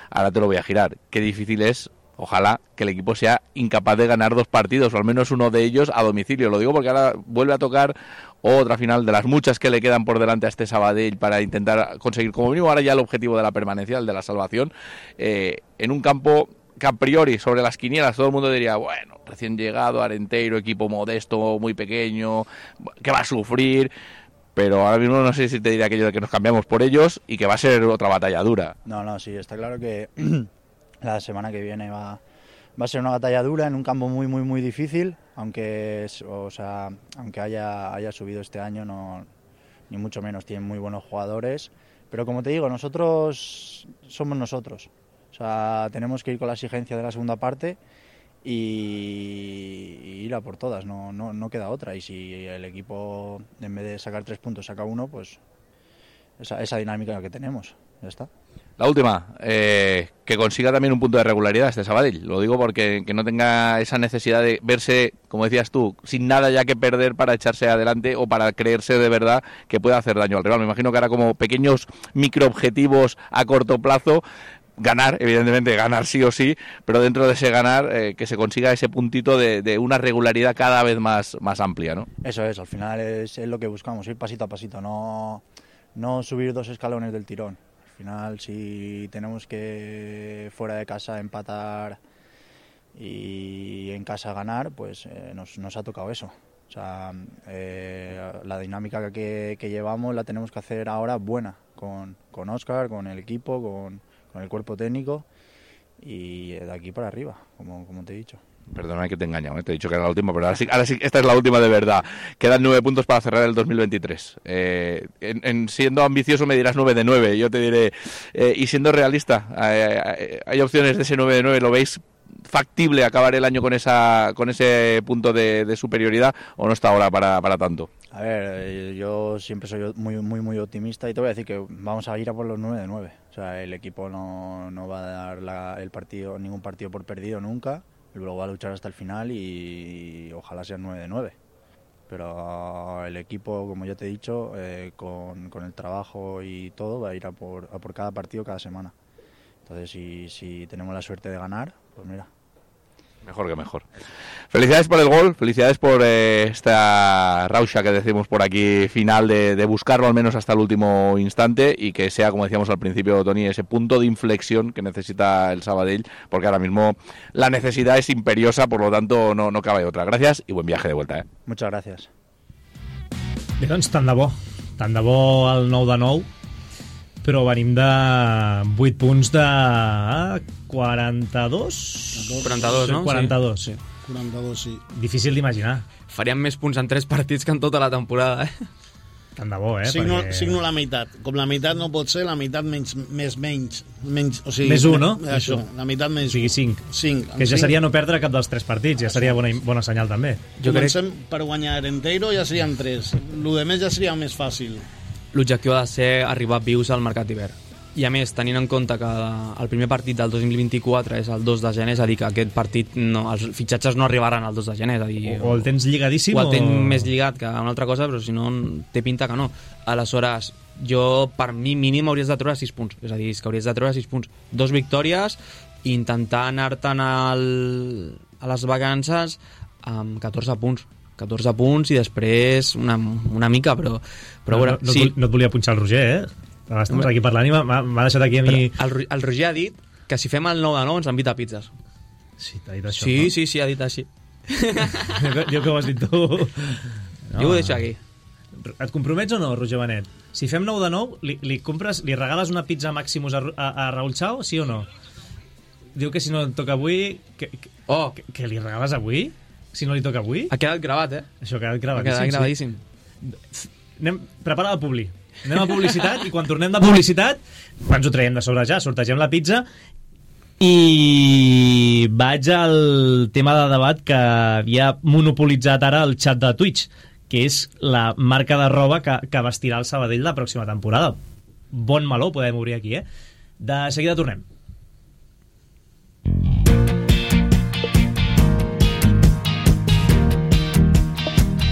Ahora te lo voy a girar. Qué difícil es, ojalá, que el equipo sea incapaz de ganar dos partidos, o al menos uno de ellos a domicilio. Lo digo porque ahora vuelve a tocar otra final de las muchas que le quedan por delante a este Sabadell para intentar conseguir como mínimo ahora ya el objetivo de la permanencia, el de la salvación, eh, en un campo que a priori sobre las quinielas todo el mundo diría, bueno, recién llegado, Arenteiro, equipo modesto, muy pequeño, que va a sufrir, pero ahora mismo no sé si te diría aquello de que nos cambiamos por ellos y que va a ser otra batalla dura. No, no, sí, está claro que la semana que viene va, va a ser una batalla dura en un campo muy, muy, muy difícil, aunque, o sea, aunque haya, haya subido este año, no, ni mucho menos, tienen muy buenos jugadores, pero como te digo, nosotros somos nosotros. O sea, tenemos que ir con la exigencia de la segunda parte y, y ir a por todas, no, no, no queda otra. Y si el equipo, en vez de sacar tres puntos, saca uno, pues esa, esa dinámica que tenemos, ya está. La última, eh, que consiga también un punto de regularidad este Sabadell. Lo digo porque que no tenga esa necesidad de verse, como decías tú, sin nada ya que perder para echarse adelante o para creerse de verdad que puede hacer daño al rival. Me imagino que hará como pequeños microobjetivos a corto plazo, ganar, evidentemente ganar sí o sí, pero dentro de ese ganar eh, que se consiga ese puntito de, de una regularidad cada vez más, más amplia, ¿no? Eso es, al final es, es lo que buscamos, ir pasito a pasito, no, no subir dos escalones del tirón. Al final, si tenemos que fuera de casa empatar y en casa ganar, pues eh, nos, nos ha tocado eso. O sea, eh, la dinámica que, que llevamos la tenemos que hacer ahora buena, con, con Óscar, con el equipo, con, con el cuerpo técnico y de aquí para arriba, como, como te he dicho. Perdona que te he engañado, ¿eh? Te he dicho que era la última, pero ahora sí, ahora sí, esta es la última de verdad. Quedan nueve puntos para cerrar el dos mil veintitrés. Eh, en, en siendo ambicioso me dirás nueve de nueve, yo te diré, eh, y siendo realista, eh, ¿hay opciones de ese nueve de nueve? ¿Lo veis factible acabar el año con esa con ese punto de, de superioridad o no está ahora para, para tanto? A ver, yo siempre soy muy muy muy optimista y te voy a decir que vamos a ir a por los nueve de nueve. O sea, el equipo no, no va a dar la, el partido ningún partido por perdido nunca. Luego va a luchar hasta el final y, y ojalá sea nueve de nueve. Pero el equipo, como ya te he dicho, eh, con, con el trabajo y todo, va a ir a por, a por cada partido cada semana. Entonces, si, si tenemos la suerte de ganar, pues mira. Mejor que mejor. Felicidades por el gol, felicidades por eh, esta rauxa que decimos por aquí final de, de buscarlo al menos hasta el último instante y que sea, como decíamos al principio, Toni, ese punto de inflexión que necesita el Sabadell, porque ahora mismo la necesidad es imperiosa, por lo tanto no, no cabe otra. Gracias y buen viaje de vuelta. Eh? Muchas gracias. Bé, doncs tant de bo. Tant de bo el nou de nou, però venim de vuit punts de quaranta-dos? quaranta-dos, no? quaranta-dos, sí. quaranta-dos, sí. Difícil d'imaginar. Faríem més punts en tres partits que en tota la temporada, eh? Tant de bo, eh? Signo, perquè... signo la meitat. Com la meitat no pot ser, la meitat menys, més menys. menys o sigui, més un, no? Això, la meitat O menys sigui, cinc. cinc. Que ja cinc. seria no perdre cap dels tres partits, ja seria bona, bona senyal també. Jo Comencem crec... per guanyar Renteiro, ja serien tres. Lo de més ja seria més fàcil. L'objectiu ha de ser arribar vius al mercat d'hivern. I a més, tenint en compte que el primer partit del dos mil vint-i-quatre és el dos de gener, és a dir, que aquest partit, no, els fitxatges no arribaran el dos de gener. És a dir, o, o el tens lligadíssim o... el tens o... més lligat que una altra cosa, però si no, té pinta que no. Aleshores, jo, per mi, mínim hauries de treure sis punts. És a dir, és que hauries de treure sis punts. Dos victòries i intentar anar-te'n al... a les vacances amb catorze punts. catorze punts i després una, una mica, però... però no, veure, no, no, sí. no et volia punxar el Roger, eh? Estem aquí parlant i m'ha deixat aquí a mi... El, el Roger ha dit que si fem el nou de nou ens invita a pizzas. Sí, t'ha dit això, sí, no? Sí, sí, ha dit així. Diu que ho has dit tu. No. Jo ho deixo aquí. Et compromets o no, Roger Benet? Si fem nou de nou, li, li compres, li regales una pizza Maximus a, a, a Raúl Chao, sí o no? Diu que si no et toca avui... Que, que, oh. que, que li regales avui? Si no li toca avui? Ha quedat gravat, eh? Això ha quedat gravadíssim. Ha quedat gravadíssim. Sí. Anem, prepara la publi. Anem a publicitat i quan tornem de publicitat ens ho traiem de sobre ja, sortegem la pizza i vaig al tema de debat que havia monopolitzat ara el xat de Twitch, que és la marca de roba que, que vestirà el Sabadell la pròxima temporada. Bon meló, podem obrir aquí, eh? De seguida tornem.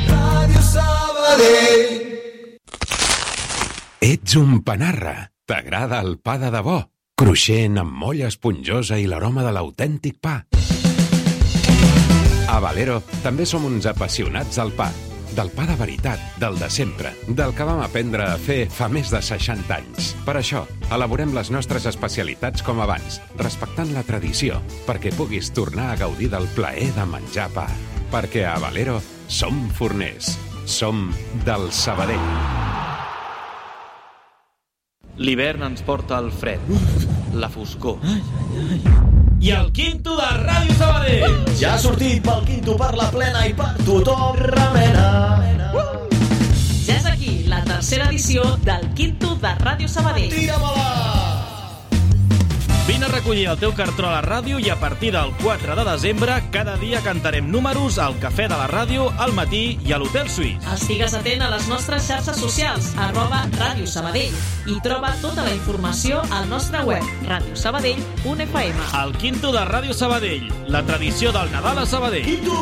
Ràdio Sabadell. Ets un panarra. T'agrada el pa de debò? Cruixent, amb molla esponjosa i l'aroma de l'autèntic pa. A Valero també som uns apassionats del pa. Del pa de veritat, del de sempre, del que vam aprendre a fer fa més de seixanta anys. Per això, elaborem les nostres especialitats com abans, respectant la tradició, perquè puguis tornar a gaudir del plaer de menjar pa. Perquè a Valero som forners. Som del Sabadell. L'hivern ens porta el fred, la foscor. Ai, ai, ai. I el Quinto de Ràdio Sabadell! Ja ha sortit pel Quinto per la plena i per tothom remena. Uh! Ja és aquí la tercera edició del Quinto de Ràdio Sabadell. Tira-me-la! Vine a recollir el teu cartró a la ràdio i a partir del quatre de desembre cada dia cantarem números al Cafè de la Ràdio, al matí i a l'Hotel Suís. Estigues atent a les nostres xarxes socials, arroba Ràdio Sabadell, i troba tota la informació al nostre web, radio sabadell punt f m. El Quinto de Ràdio Sabadell, la tradició del Nadal a Sabadell. Quinto!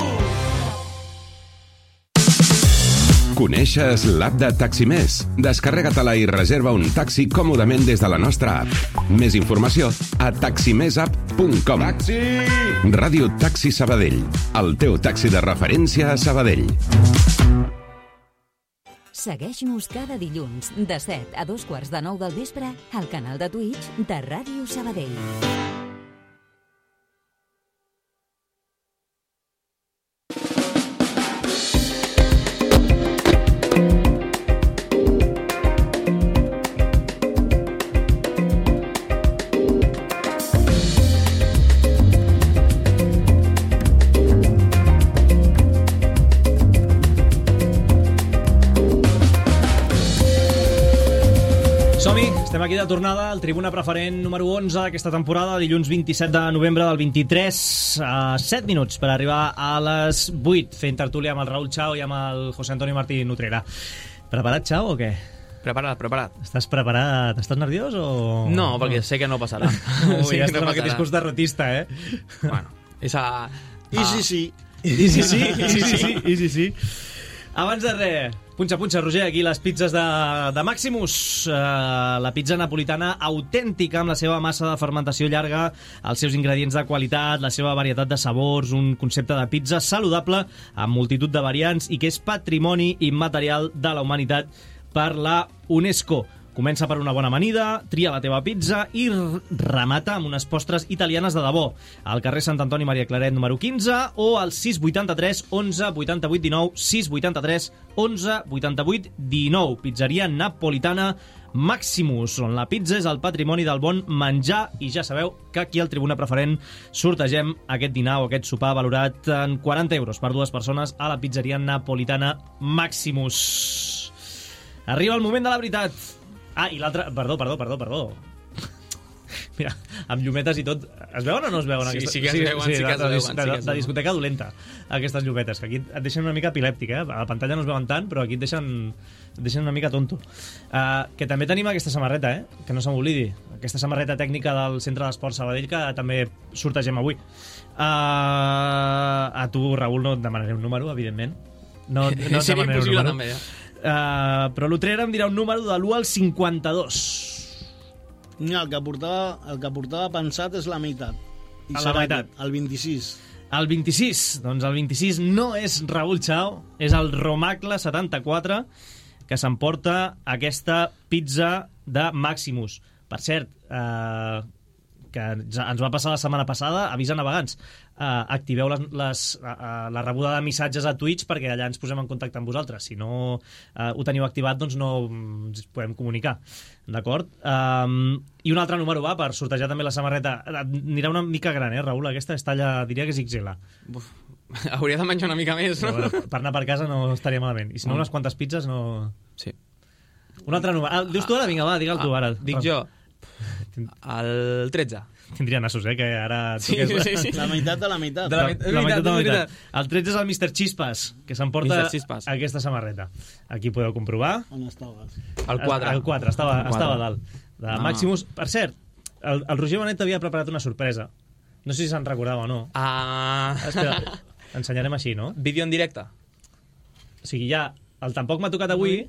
Coneixes l'app de Taximés? Descarrega-te-la i reserva un taxi còmodament des de la nostra app. Més informació a taximesapp punt com. Taxi! Ràdio Taxi Sabadell, el teu taxi de referència a Sabadell. Segueix-nos cada dilluns de set a dos quarts de nou del vespre al canal de Twitch de Ràdio Sabadell. Estem aquí de tornada al Tribuna Preferent número onze d'aquesta temporada, dilluns vint-i-set de novembre del vint-i-tres, a set minuts per arribar a les vuit, fent tertúlia amb el Raül Chao i amb el José Antonio Martí Nutrera. Preparat, Chao, o què? Preparat, preparat. Estàs preparat? Estàs nerviós o...? No, perquè sé que no passarà. Ui, sí, ja estàs amb aquest discurs derrotista, eh? Bueno, és a... I sí, sí. I sí, sí, i sí, sí, i sí, sí. Abans de res, punxa, punxa, Roger, aquí les pizzas de, de Maximus. Uh, la pizza napolitana autèntica, amb la seva massa de fermentació llarga, els seus ingredients de qualitat, la seva varietat de sabors, un concepte de pizza saludable amb multitud de variants i que és patrimoni immaterial de la humanitat per la UNESCO. Comença per una bona amanida, tria la teva pizza i remata amb unes postres italianes de debò. Al carrer Sant Antoni Maria Claret número quinze o al sis vuitanta-tres onze vuitanta-vuit dinou, sis vuitanta-tres onze vuitanta-vuit dinou. Pizzeria napolitana Maximus, on la pizza és el patrimoni del bon menjar, i ja sabeu que aquí al Tribuna Preferent sortegem aquest dinar o aquest sopar valorat en quaranta euros per dues persones a la pizzeria napolitana Maximus. Arriba el moment de la veritat. Ah, i l'altre... Perdó, perdó, perdó, perdó. Mira, amb llumetes i tot... Es veuen o no es veuen? Sí, aquestes? sí que es veuen, sí, sí que es veuen. De, Sí de, que es de discoteca dolenta, aquestes llumetes, que aquí et deixen una mica epilèptic, eh? A la pantalla no es veuen tant, però aquí et deixen, et deixen una mica tonto. Uh, que també tenim aquesta samarreta, eh? Que no se m'oblidi. Aquesta samarreta tècnica del Centre d'Esport Sabadell, que també sortegem avui. Uh, a tu, Raül, no et demanaré un número, evidentment. No, no et demanaré un número. També, ja. Uh, però l'Utrera em dirà un número de l'u al cinquanta-dos. Mira, el que portava, el que portava pensat és la meitat. I a la meitat. Aquest, el vint-i-sis. El vint-i-sis. Doncs el vint-i-sis no és Raül Chao, és el Romacle setanta-quatre, que s'emporta aquesta pizza de Maximus. Per cert, eh, que ens va passar la setmana passada, avís a navegants. Uh, activeu les, les, uh, la rebuda de missatges a Twitch perquè allà ens posem en contacte amb vosaltres. Si no uh, ho teniu activat, doncs no ens podem comunicar. D'acord? Um, I un altre número va per sortejar també la samarreta. Anirà una mica gran, eh, Raül? Aquesta és talla, diria que és ics ele. Uf, hauria de menjar una mica més, no? Però, per anar per casa no estaria malament. I si no, unes quantes pizzas no... Sí. Un altre número. Ah, dius tu ara? Vinga, va, digue'l tu ara. Dic jo. El tretze. Tindria nassos, eh? Que ara... Sí, sí, sí, sí. La meitat de la meitat. De la, la, la meitat de la meitat. El tretze és el míster Chispas, que s'emporta aquesta samarreta. Aquí podeu comprovar. On estaves? El quatre. El quatre, estava, el estava a dalt. De no. Maximus. Per cert, el, el Roger Bonet havia preparat una sorpresa. No sé si se'n recordava o no. Ah... Espera, ensenyarem així, no? Vídeo en directe. O sigui, ja... El tampoc m'ha tocat avui...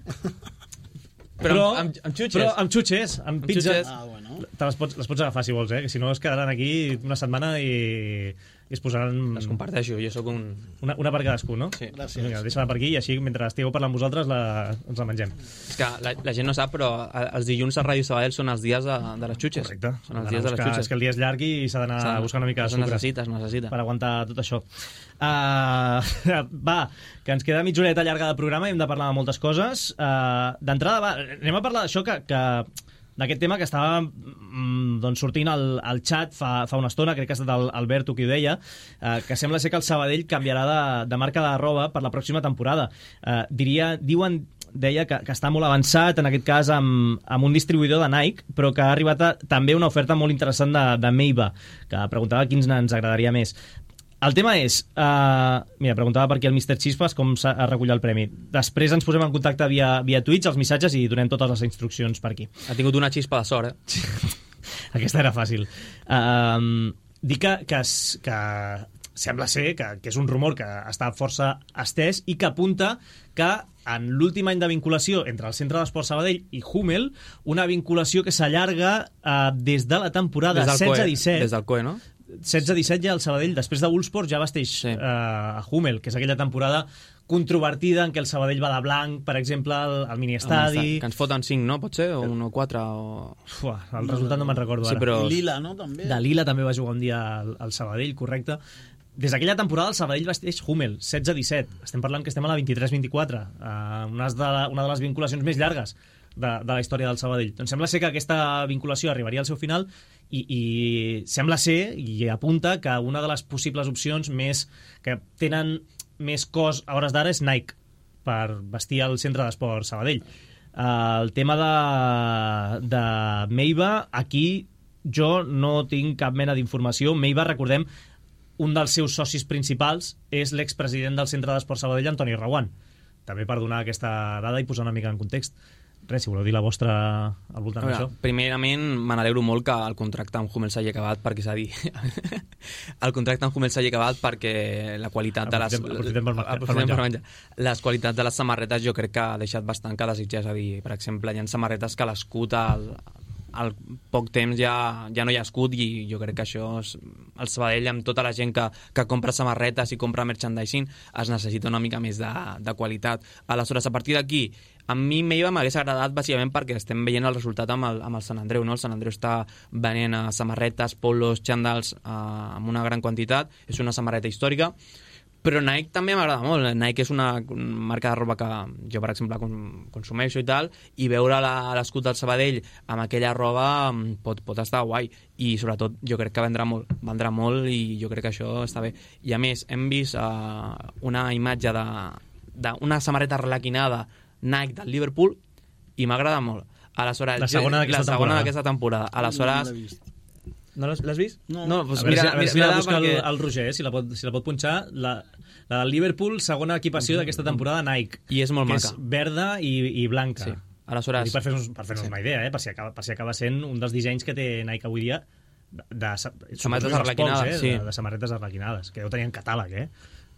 Però, però amb, amb xutxes. Però amb xutxes, amb pizza. Ah, bueno. Te les pots, les pots agafar si vols, eh? Que si no es quedaran aquí una setmana i, i es posaran... Les comparteixo, jo sóc un... Una, una per cadascú, no? Sí. Gràcies. Vinga, deixa-la per aquí i així, mentre estigueu parlant vosaltres, la, ens la mengem. És que la, la gent no sap, però els dilluns a Ràdio Sabadell són els dies de, de les xutxes. Correcte. Són els dies de les xutxes. És que el dia és llarg i s'ha d'anar a buscar una mica de sucre. Necessita, es necessita. Per aguantar tot això. Uh, va, que ens queda mitja horeta llarga de programa i hem de parlar de moltes coses. Uh, D'entrada, va, anem a parlar d'això que, que d'aquest tema que estava mm, doncs sortint al, al xat fa, fa una estona, crec que ha estat el Alberto qui ho deia, uh, que sembla ser que el Sabadell canviarà de, de marca de roba per la pròxima temporada. Uh, diria, diuen deia que, que està molt avançat, en aquest cas amb, amb un distribuïdor de Nike, però que ha arribat a, també una oferta molt interessant de, de Meiba, que preguntava quins ens agradaria més. El tema és, uh, mira, preguntava per aquí el míster Chispas com s'ha recollit el premi. Després ens posem en contacte via, via Twitch, els missatges, i donem totes les instruccions per aquí. Ha tingut una xispa de sort, eh? Aquesta era fàcil. Uh, dic que, que, que sembla ser que, que és un rumor que està força estès i que apunta que en l'últim any de vinculació entre el Centre d'Esport Sabadell i Hummel, una vinculació que s'allarga eh, des de la temporada setze disset. Des del C O E, no? setze disset ja el Sabadell, després de Ulsport ja vesteix sí. eh, a Hummel, que és aquella temporada controvertida en què el Sabadell va de blanc, per exemple, al, al miniestadi... Que ens foten cinc, no? Pot ser? O un o quatre? O... Ua, el resultat no me'n recordo ara. Sí, però... Lila, no? També. De Lila també va jugar un dia al, al Sabadell, correcte. Des d'aquella temporada el Sabadell vesteix Hummel, setze disset. Estem parlant que estem a la vint-i-tres vint-i-quatre, uh, una, de la, una de les vinculacions més llargues de, de la història del Sabadell. Doncs sembla ser que aquesta vinculació arribaria al seu final i, i sembla ser, i apunta, que una de les possibles opcions més que tenen més cos a hores d'ara és Nike, per vestir el Centre d'Esport Sabadell. Uh, el tema de, de Meiva, aquí jo no tinc cap mena d'informació. Meiva, recordem, un dels seus socis principals és l'expresident del Centre d'Esport Sabadell, Antoni Reguant. També per donar aquesta dada i posar una mica en context. Res, si voleu dir la vostra al voltant d'això. Primerament, me n'alegro molt que el contracte amb Hummel s'hagi acabat, perquè s'ha dit... el contracte amb Hummel s'hagi acabat perquè la qualitat de les... Aprofitem per, per, per menjar. menjar. Les qualitats de les samarretes jo crec que ha deixat bastant que desitjar. És a dir, per exemple, hi ha samarretes que l'escut al, al poc temps ja, ja no hi ha escut, i jo crec que això és, el Sabadell, amb tota la gent que, que compra samarretes i compra merchandising, es necessita una mica més de, de qualitat. Aleshores, a partir d'aquí, a mi Meiva m'hagués agradat bàsicament perquè estem veient el resultat amb el, amb el Sant Andreu, no? El Sant Andreu està venent uh, samarretes, polos, xandals uh, amb una gran quantitat, és una samarreta històrica, però Nike també m'agrada molt. Nike és una marca de roba que jo, per exemple, consumeixo i tal, i veure l'escut del Sabadell amb aquella roba pot, pot estar guai, i sobretot jo crec que vendrà molt, vendrà molt, i jo crec que això està bé. I a més, hem vist uh, una imatge d'una samarreta arlequinada Nike del Liverpool i m'agrada molt. Aleshores, la segona d'aquesta temporada. temporada. Aleshores, no l'has vist? No. no doncs mira, mira, mira, mira buscar perquè... el, el Roger, eh, si, la pot, si la pot punxar. La, la del Liverpool, segona equipació d'aquesta temporada Nike. I és molt que maca. És verda i, i blanca. Sí. Aleshores... per fer-nos per fer sí. una idea, eh, per, si acaba, per si acaba sent un dels dissenys que té Nike avui dia de, de, de samarretes arlequinades, eh, sí. de, de samarretes arlequinades, que ja ho tenien catàleg, eh?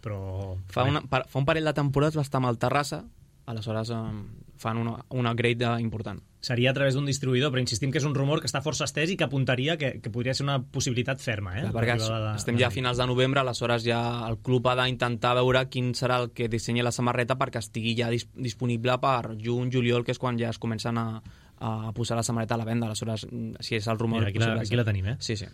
Però... Fa, una, fa un parell de temporades va estar amb el Terrassa, aleshores um, fan una, una upgrade important. Seria a través d'un distribuïdor, però insistim que és un rumor que està força estès i que apuntaria que, que podria ser una possibilitat ferma. Eh? Clar, perquè de, estem ja a finals de novembre, aleshores ja el club ha d'intentar veure quin serà el que dissenyi la samarreta perquè estigui ja dis disponible per juny, juliol, que és quan ja es comencen a, a posar la samarreta a la venda. Aleshores, si és el rumor... Mira, aquí, la, aquí la tenim, eh? Sí, sí.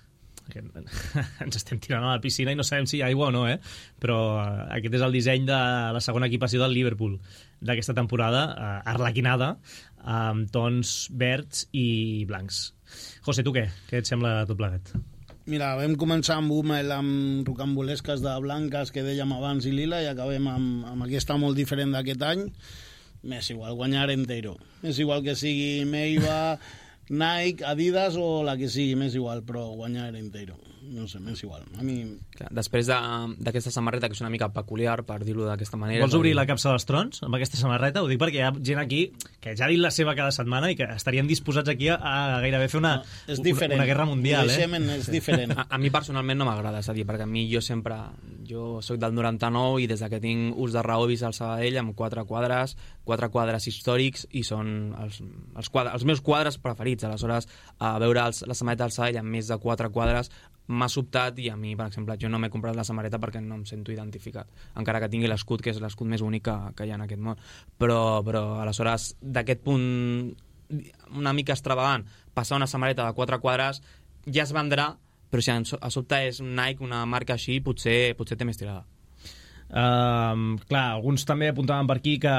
Ens estem tirant a la piscina i no sabem si hi ha aigua o no, eh? Però uh, aquest és el disseny de la segona equipació del Liverpool d'aquesta temporada, uh, arlequinada, amb tons verds i blancs. José, tu què? Què et sembla tot plegat? Mira, vam començar amb Hummel, amb rocambolesques de blanques que dèiem abans i lila, i acabem amb, amb aquesta molt diferent d'aquest any. M'és igual, guanyar entero. M'és igual que sigui Meiva, Nike, Adidas o la que sigui, m'és igual, però guanyar entero. No sé, m'és igual. A mi... Clar, després d'aquesta samarreta, que és una mica peculiar, per dir-ho d'aquesta manera... Vols obrir la capsa dels trons amb aquesta samarreta? Ho dic perquè hi ha gent aquí que ja ha dit la seva cada setmana i que estarien disposats aquí a, a gairebé fer una, no, una, una guerra mundial. Eh? És diferent. A, a mi personalment no m'agrada, és a dir, perquè a mi jo sempre... Jo soc del noranta-nou i des que tinc ús de raó he vist el Sabadell amb quatre quadres, quatre quadres històrics, i són els, els, quadres, els meus quadres preferits. Aleshores, a veure els, la samarreta del Sabadell amb més de quatre quadres m'ha sobtat, i a mi, per exemple, jo no m'he comprat la samarreta perquè no em sento identificat, encara que tingui l'escut, que és l'escut més únic que, que hi ha en aquest món. Però, però aleshores, d'aquest punt una mica extravagant, passar una samarreta de quatre quadres ja es vendrà, però si a sobte és Nike, una marca així, potser, potser té més tirada. Uh, clar, alguns també apuntaven per aquí que,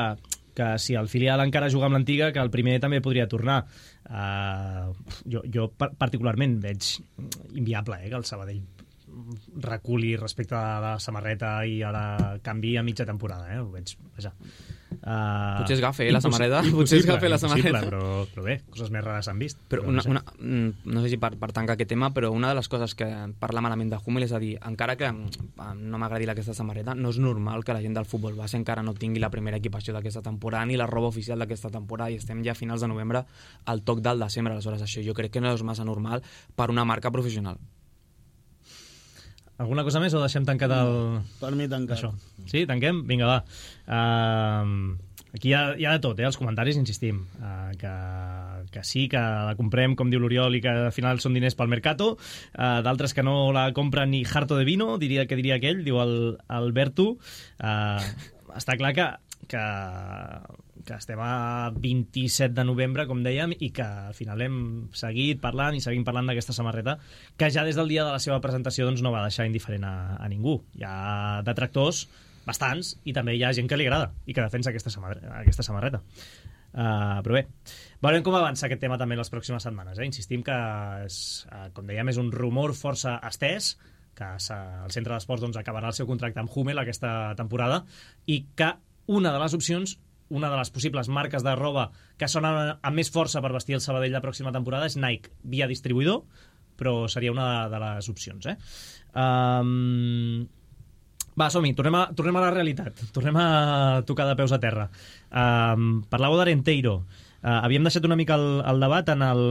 que si el filial encara juga amb l'antiga, que el primer també podria tornar. Uh, jo, jo particularment veig inviable, eh, que el Sabadell reculi respecte a la samarreta i a la canvi a mitja temporada, eh? Ho veig, vaja. Uh, potser es gafe, eh, la samarreta. Potser es gafe la samarreta. Però, però bé, coses més rares s'han vist. Però, però una, no, sé. Una, no sé si per, per tancar aquest tema, però una de les coses que parla malament de Hummel és a dir, encara que no m'agradi aquesta samarreta, no és normal que la gent del futbol base encara no tingui la primera equipació d'aquesta temporada ni la roba oficial d'aquesta temporada, i estem ja a finals de novembre al toc del desembre. Aleshores, això jo crec que no és massa normal per una marca professional. Alguna cosa més o deixem tancat el... Per mi tancat. Això. Sí, tanquem? Vinga, va. Uh, aquí hi ha, hi ha de tot, eh? Els comentaris, insistim. Uh, que, que sí, que la comprem, com diu l'Oriol, i que al final són diners pel Mercato. Uh, D'altres que no la compren ni harto de vino, diria que diria aquell, diu el, el Bertu. Uh, està clar que, que, que estem a vint-i-set de novembre, com dèiem, i que al final hem seguit parlant i seguim parlant d'aquesta samarreta, que ja des del dia de la seva presentació doncs, no va deixar indiferent a, a ningú. Hi ha detractors bastants, i també hi ha gent que li agrada i que defensa aquesta samarreta. Aquesta samarreta. Uh, però bé, veurem com avança aquest tema també les pròximes setmanes. Eh? Insistim que, és, uh, com dèiem, és un rumor força estès, que el Centre d'Esports doncs, acabarà el seu contracte amb Hummel aquesta temporada, i que una de les opcions, una de les possibles marques de roba que sonen amb més força per vestir el Sabadell la pròxima temporada és Nike, via distribuïdor, però seria una de les opcions. Eh? Um... Va, som-hi, tornem, a, tornem a la realitat, tornem a tocar de peus a terra. Um, parlàveu d'Arenteiro. Uh, havíem deixat una mica el, el debat en, el,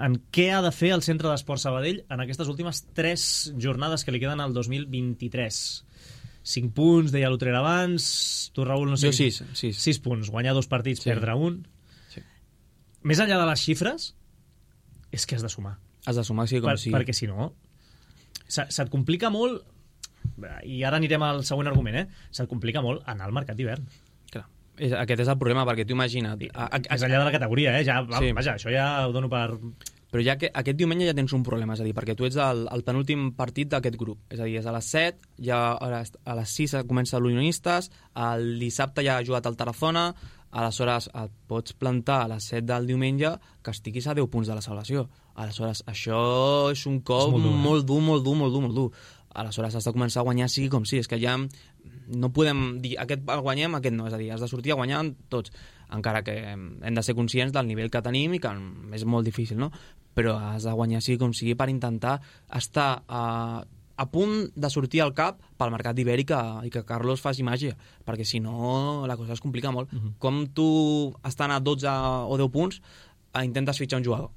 en què ha de fer el Centre d'Esport Sabadell en aquestes últimes tres jornades que li queden al dos mil vint-i-tres. Cinc punts, deia l'Utrera abans, tu, Raül, no sé... Jo sis, sis. Sis punts, guanyar dos partits, sí. Perdre un. Sí. Més enllà de les xifres, és que has de sumar. Has de sumar, sí, com per, sí. Perquè si no, se, se't complica molt, i ara anirem al següent argument, eh? Se't complica molt anar al mercat d'hivern. Clar. És, aquest és el problema, perquè tu imagina't... A, a, més enllà de la categoria, eh? Ja, va, sí. Vaja, això ja ho dono per... Però ja que aquest diumenge ja tens un problema, és a dir, perquè tu ets el, el penúltim partit d'aquest grup. És a dir, és a les set, ja a les, a les sis comença l'Unionistes, el dissabte ja ha jugat el Tarazona, aleshores et pots plantar a les set del diumenge que estiguis a deu punts de la salvació. Aleshores, això és un cop és molt, dur, eh? molt dur, molt dur, molt dur, molt dur. Aleshores has de començar a guanyar sigui com sí, és que ja no podem dir aquest el guanyem, aquest no, és a dir, has de sortir a guanyar tots, encara que hem de ser conscients del nivell que tenim i que és molt difícil, no? Però has de guanyar sigui com sigui per intentar estar a, a punt de sortir al cap pel mercat d'hivern i, que, i que Carlos faci màgia, perquè si no la cosa es complica molt. Uh-huh. Com tu estan a dotze o deu punts intentes fitxar un jugador,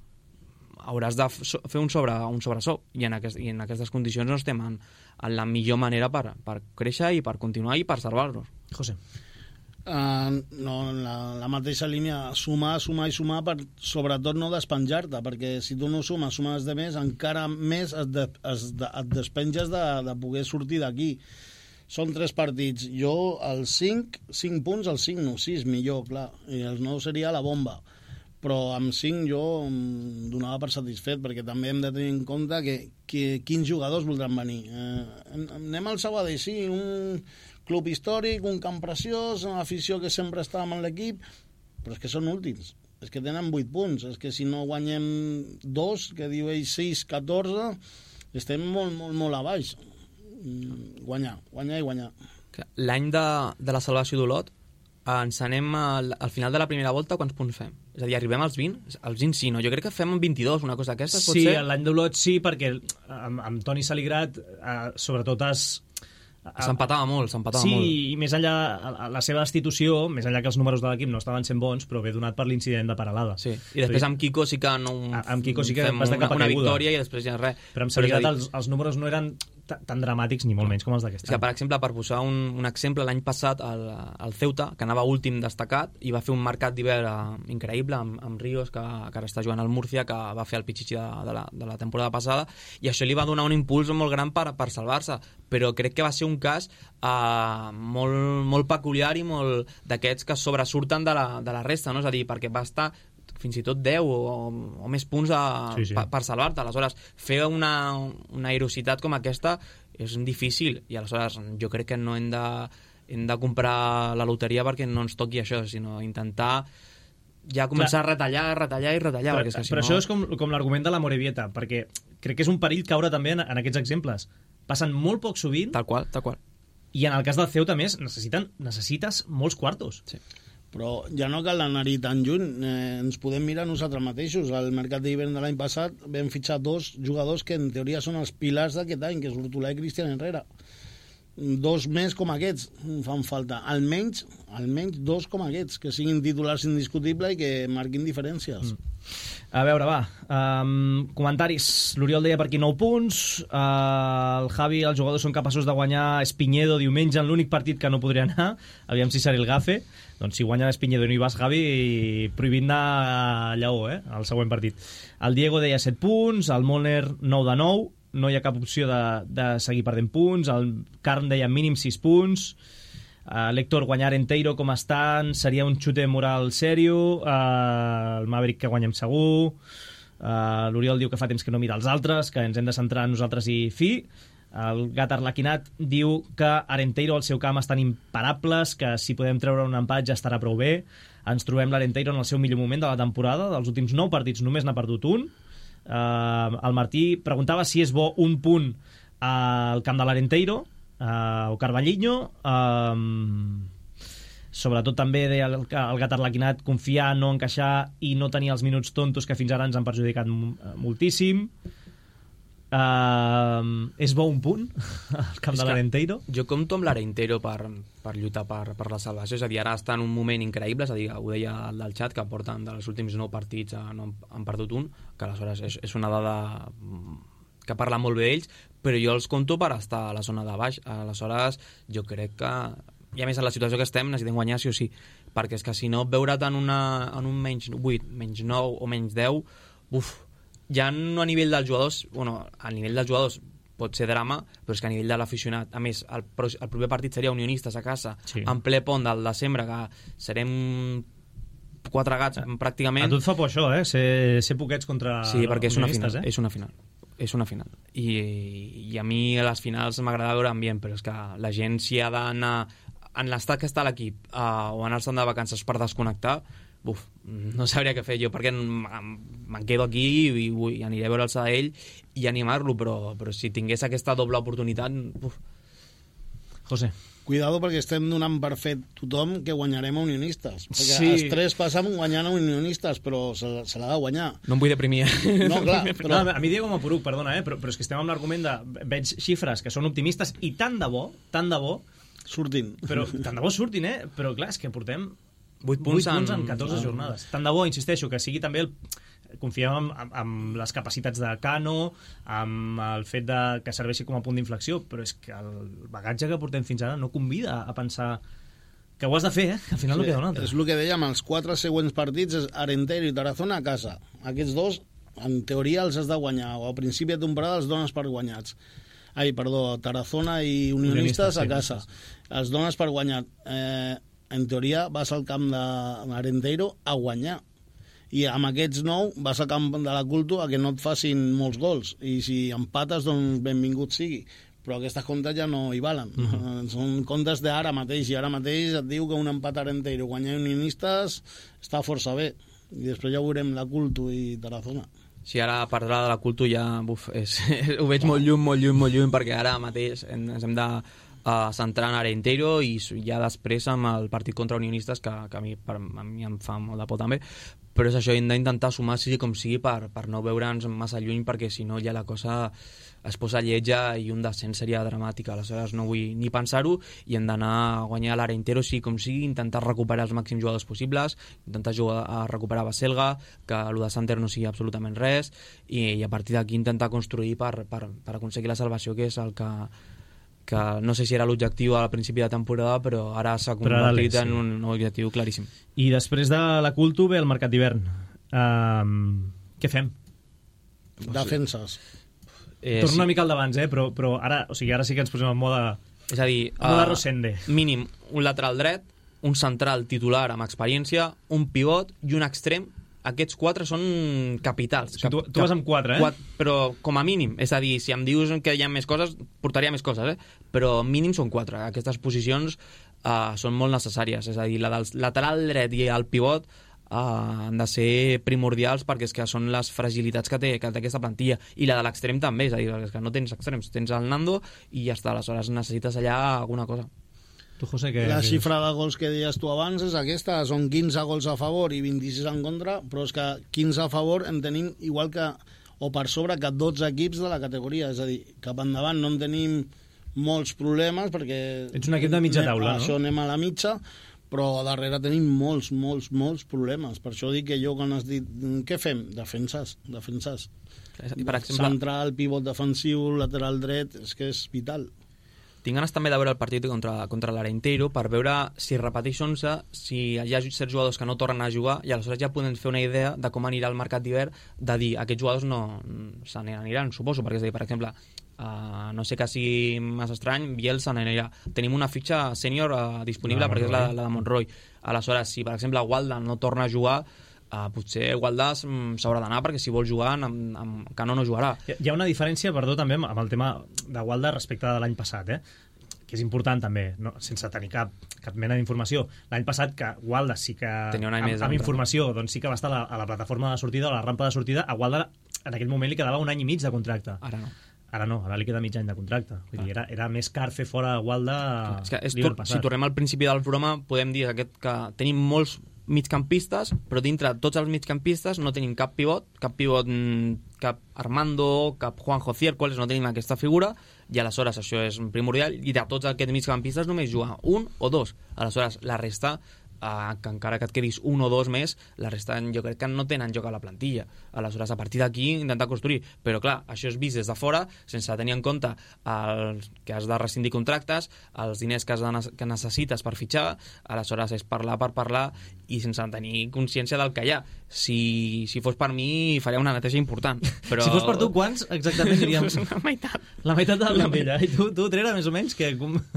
hauràs de fer un, sobre, un sobresou i en, aquest, i en aquestes condicions no estem en, en la millor manera per, per créixer i per continuar i per salvar-nos. José. Uh, no, la, la mateixa línia, sumar, sumar i sumar per sobretot no despenjar-te, perquè si tu no sumes, sumes de més, encara més et, de, es, de, et despenges de, de poder sortir d'aquí. Són tres partits, jo els cinc, cinc punts, els cinc no, sis millor, clar, i els nou seria la bomba, però amb cinc jo em donava per satisfet, perquè també hem de tenir en compte que, que quins jugadors voldran venir. Eh, anem al Sabadell, sí, un club històric, un camp preciós, una afició que sempre estàvem en l'equip, però és que són últims, és que tenen vuit punts, és que si no guanyem dos, que diu ell sis, catorze, estem molt, molt, molt a baix. Guanyar, guanyar i guanyar. L'any de, de la salvació d'Olot, ens anem al, al final de la primera volta, quants punts fem? És a dir, arribem als vint? Als vint sí, no? Jo crec que fem vint-i-dos, una cosa d'aquestes, pot sí, ser? Sí, l'any d'Olot sí, perquè amb, amb Toni Saligrat, eh, sobretot has... S'empatava molt, s'empatava sí, molt. Sí, i més enllà, la seva destitució, més enllà que els números de l'equip no estaven sent bons, però ve donat per l'incident de Paralada. Sí, i després amb Kiko sí que no amb Kiko sí que fem vas de cap una, una victòria i després ja res. Però amb Saligrat els, els números no eren tan dramàtics ni molt menys com els d'aquest any. Que, per exemple, per posar un, un exemple, l'any passat el, el Ceuta, que anava últim destacat i va fer un mercat d'hivern increïble amb, amb Ríos, que, que ara està jugant al Múrcia, que va fer el pitxitxi de, de, la, de la temporada passada, i això li va donar un impuls molt gran per, per salvar-se, però crec que va ser un cas uh, molt, molt peculiar i molt d'aquests que sobresurten de la, de la resta, no? És a dir, perquè va estar fins i tot deu o, o més punts a, sí, sí. Per, per salvar-te. Aleshores, fer una, una aerositat com aquesta és difícil, i aleshores jo crec que no hem de, hem de comprar la loteria perquè no ens toqui això, sinó intentar ja començar Clar. a retallar, retallar i retallar. Però, perquè és que, si però no... això és com, com l'argument de la Morevieta, perquè crec que és un perill caure també en, en aquests exemples. Passen molt poc sovint. Tal qual, tal qual. I en el cas del Ceuta, més, necessiten, necessites molts quartos. Sí. Però ja no cal anar-hi tan lluny, eh, ens podem mirar nosaltres mateixos. Al mercat d'hivern de l'any passat vam fitxar dos jugadors que en teoria són els pilars d'aquest any, que és l'Hortolà i Cristian Herrera. dos més com aquests fan falta, almenys almenys dos com aquests, que siguin titulars indiscutibles i que marquin diferències. Mm. A veure, va, um, comentaris. L'Oriol deia per aquí nou punts, uh, el Javi, els jugadors són capaços de guanyar Espinyedo diumenge en l'únic partit que no podria anar, aviam si serà el Gafe. Doncs si guanya Espinyedo i no hi vas, Javi, prohibint anar a Lleó, eh, al següent partit. El Diego deia set punts, el Molner nou de nou, no hi ha cap opció de, de seguir perdent punts, el Carn deia mínim sis punts, Uh, l'Héctor, guanyar Enteiro com estan seria un xute moral sèrio, uh, el Maverick que guanyem segur, uh, l'Oriol diu que fa temps que no mira els altres, que ens hem de centrar en nosaltres i fi. El Gat Arlequinat diu que Arenteiro al seu camp estan imparables, que si podem treure un empat ja estarà prou bé. Ens trobem l'Arenteiro en el seu millor moment de la temporada, dels últims nou partits només n'ha perdut un. uh, el Martí preguntava si és bo un punt al camp de l'Arenteiro, Uh, o Carballiño, um, sobretot també deia el, el Gat Arlequinat, confiar, no encaixar i no tenir els minuts tontos que fins ara ens han perjudicat moltíssim. Uh, és bo un punt al camp és de l'Arenteiro? Jo compto amb l'Arenteiro per, per lluitar per, per la salvació, és a dir, ara està en un moment increïble, és a dir, ho deia el del xat, que porten dels últims nou partits a, no, han perdut un, que aleshores és, és una dada que parla molt bé d'ells, però jo els compto per estar a la zona de baix. Aleshores, jo crec que, i a més en la situació que estem, necessitem guanyar sí o sí, perquè és que si no, veure't en, una, en un menys vuit, menys nou o menys deu, uf, ja no a nivell dels jugadors, bueno, a nivell dels jugadors pot ser drama, però és que a nivell de l'aficionat, a més, el, el proper partit seria Unionistes a casa, sí, en ple pont del desembre, que serem quatre gats, pràcticament. A tu et fa por això, eh? Ser, ser poquets contra sí, perquè és una final, eh? és una final. És una final. I, i a mi a les finals m'agrada veure ambient, però és que la gent si ha d'anar en l'estat que està l'equip uh, o anar-se'n de vacances per desconnectar, uf, no sabria què fer jo, perquè me'n quedo aquí i, i aniré a veure'ls a ell i animar-lo, però, però si tingués aquesta doble oportunitat, uf. José. Cuidado, perquè estem donant per fet tothom que guanyarem a Unionistes. Perquè sí. els tres passam guanyant a Unionistes, però se, se l'ha de guanyar. No em vull deprimir. No, clar. Però... No, a mi Diego Mapuruc, perdona, eh? però, però és que estem amb l'argument de... Veig xifres que són optimistes i tant de bo, tant de bo... Surtin. Però, tant de bo surtin, eh? Però clar, és que portem vuit punts, punts en en catorze jornades. Tant de bo, insisteixo, que sigui també el... Confiem en, en, en les capacitats de Cano, amb el fet de que serveixi com a punt d'inflexió, però és que el bagatge que portem fins ara no convida a pensar que ho has de fer, eh? Que al final sí, no queda un altre. És el que dèiem, els quatre següents partits és Arenteiro i Tarazona a casa. Aquests dos, en teoria, els has de guanyar, o a principi de temporada els dones per guanyats. Ai, perdó, Tarazona i Unionistes, Unionistes a casa. Sí, els dones per guanyat. Eh, en teoria vas al camp d'Arenteiro a guanyar. I amb aquests nou vas al camp de la Culto a que no et facin molts gols, i si empates, doncs benvingut sigui, però aquestes comptes ja no hi valen. Uh-huh. Són comptes d'ara mateix, i ara mateix et diu que un empat Arenteiro guanyar Unionistes està força bé, i després ja veurem la Culto i Tarazona. Sí, ara parlar de la Culto ja uf, és, ho veig molt lluny, molt lluny, molt lluny, perquè ara mateix ens hem de a centrar en Arenteiro i ja després amb el partit contra Unionistes, que, que a, mi, per, a mi em fa molt de por també, però és això, hem d'intentar sumar sigui com sigui per, per no veure'ns massa lluny, perquè si no ja la cosa es posa lletja i un descens seria dramàtic. Aleshores no vull ni pensar-ho i hem d'anar a guanyar l'Arenteiro sigui com sigui, intentar recuperar els màxims jugadors possibles, intentar jugar a recuperar Baselga, que el de Santer no sigui absolutament res, i, i a partir d'aquí intentar construir per, per, per aconseguir la salvació, que és el que que no sé si era l'objectiu al principi de temporada, però ara s'ha convertit en un objectiu claríssim. I després de la Culto ve el mercat d'hivern. Um, què fem? Defenses. Eh, Torno sí. una mica al d'abans, eh? però, però ara, o sigui, ara sí que ens posem en mode, és a dir, en mode uh, Rosende. Mínim un lateral dret, un central titular amb experiència, un pivot i un extrem. Aquests quatre són capitals. O sigui, tu, tu vas amb quatre, eh? Quatre, però com a mínim. És a dir, si em dius que hi ha més coses, portaria més coses, eh? Però mínim són quatre. Aquestes posicions uh, són molt necessàries. És a dir, la del lateral dret i el pivot uh, han de ser primordials, perquè és que són les fragilitats que té, que té aquesta plantilla. I la de l'extrem també, és a dir, és que no tens extrems. Tens el Nando i ja està. Aleshores necessites allà alguna cosa. Tu, José, que... La xifra de gols que deies tu abans és aquesta, són quinze gols a favor i vint-i-sis en contra, però és que quinze a favor en tenim igual que, o per sobre, que dotze equips de la categoria, és a dir, cap endavant no en tenim molts problemes, perquè... Ets un equip de mitja taula, no? Això anem a la mitja, però darrere tenim molts, molts, molts problemes. Per això dic que jo, quan has dit, què fem? Defenses, defenses. Per exemple... Central, pivot defensiu, lateral dret, és que és vital. Tinc ganes també de veure el partit contra, contra l'Arenteiro per veure si repeteix onze, si hi ha certs jugadors que no tornen a jugar, i aleshores ja podem fer una idea de com anirà el mercat d'hivern, de dir, aquests jugadors no se n'aniran, suposo, perquè és a dir, per exemple, uh, no sé que sigui massa estrany, Biel se n'anirà. Tenim una fitxa sènior uh, disponible, no, perquè és la, la de Monroy. Aleshores, si per exemple Walda no torna a jugar, Uh, potser Gualdà s'haurà d'anar, perquè si vol jugar amb, amb Cano no jugarà. Hi ha una diferència, perdó, també amb el tema de Gualdà respecte de l'any passat, eh? Que és important també, no? Sense tenir cap, cap mena d'informació. L'any passat que Gualdà sí que tenia un any amb, més amb informació doncs sí que va estar a la, a la plataforma de sortida, a la rampa de sortida. A Gualdà en aquell moment li quedava un any i mig de contracte. Ara no. Ara no, ara li queda mig any de contracte. Vull dir, era, era més car fer fora Gualdà l'hivern passat. Si tornem al principi del programa, podem dir aquest, que tenim molts migcampistes, però dintre tots els migcampistes no tenim cap pivot, cap pivot, cap Armando, cap Juanjo Ciércoles, no tenim aquesta figura, i aleshores això és primordial, i de tots aquests migcampistes només juga un o dos. Aleshores, la resta, eh, que encara que et quedis un o dos més, la resta jo crec que no tenen joc a la plantilla. Aleshores, a partir d'aquí, intentar construir. Però clar, això és vist des de fora, sense tenir en compte el que has de rescindir contractes, els diners que, has de, que necessites per fitxar. Aleshores, és parlar per parlar i sense tenir consciència del que hi ha. Si, si fos per mi, faria una neteja important. Però... Si fos per tu, quants exactament diríem? La meitat. La meitat de la plantilla. I tu, tu Trera, més o menys? Que...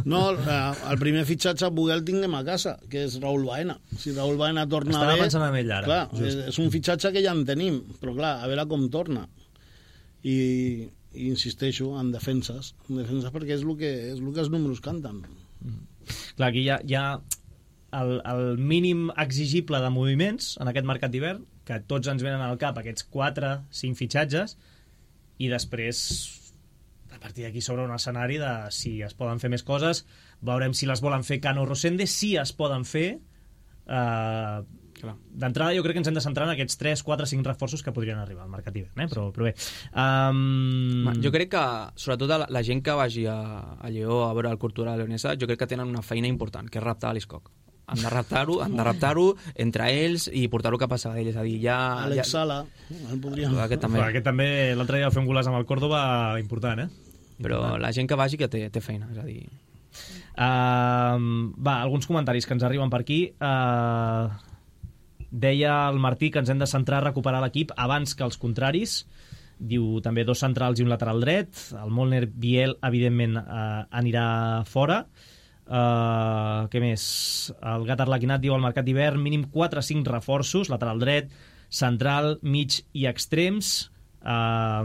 No, el primer fitxatge a Buguel tinguem a casa, que és Raúl Baena. Si Raúl Baena torna Estava bé... Estava pensant en ell ara. Clar, és, és un fitxatge que ja en tenim, però clar, a veure com torna. I, i insisteixo, en defenses. En defenses perquè és el que, és el que els números canten. Mm. Clar, aquí hi ha... Hi ha... El, el mínim exigible de moviments en aquest mercat d'hivern, que tots ens venen al cap aquests quatre cinc fitxatges, i després a partir d'aquí s'obre un escenari de si es poden fer més coses, veurem si les volen fer Cano o Rosende, si es poden fer. eh, d'entrada jo crec que ens hem de centrar en aquests tres, quatre, cinc reforços que podrien arribar al mercat d'hivern, eh? però, però bé um... jo crec que sobretot la, la gent que vagi a, a Lleó a veure el Cultural Leonesa, jo crec que tenen una feina important, que és raptar a l'Iscoc. Han de raptar-ho, han de raptar-ho entre ells i portar-ho cap a Sabadell, és a dir, ja... Alex ja... Sala, el podríem... Aquest també. Aquest també, l'altre dia va fer un golaç amb el Córdoba important, eh? Però important. La gent que vagi que té, té feina, és a dir... Uh, va, alguns comentaris que ens arriben per aquí. Uh, deia el Martí que ens hem de centrar a recuperar l'equip abans que els contraris. Diu també dos centrals i un lateral dret. El Molner Biel, evidentment, uh, anirà fora. Uh, què més? El Gat Arlequinat diu al mercat d'hivern mínim quatre o cinc reforços, lateral dret, central, mig i extrems. uh,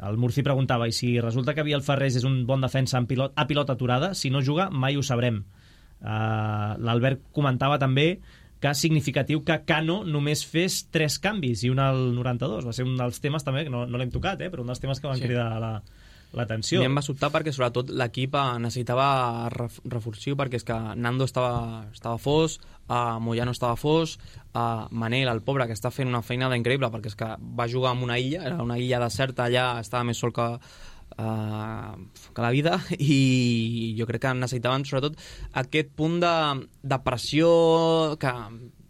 el Murci preguntava, i si resulta que Biel Ferrés és un bon defensa en pilot, a pilota aturada, si no juga mai ho sabrem. uh, l'Albert comentava també que és significatiu que Cano només fes tres canvis i un al noranta-dos. Va ser un dels temes també, que no, no l'hem tocat, eh, però un dels temes que van sí. cridar la l'atenció. A mi em va sobtar perquè sobretot l'equip necessitava reforçar, perquè és que Nando estava, estava fos, uh, Moyano estava fos, uh, Manel, el pobre, que està fent una feina d'increïble, perquè és que va jugar en una illa, era una illa deserta allà, estava més sol que, uh, que la vida, i jo crec que necessitaven sobretot aquest punt de, de pressió que,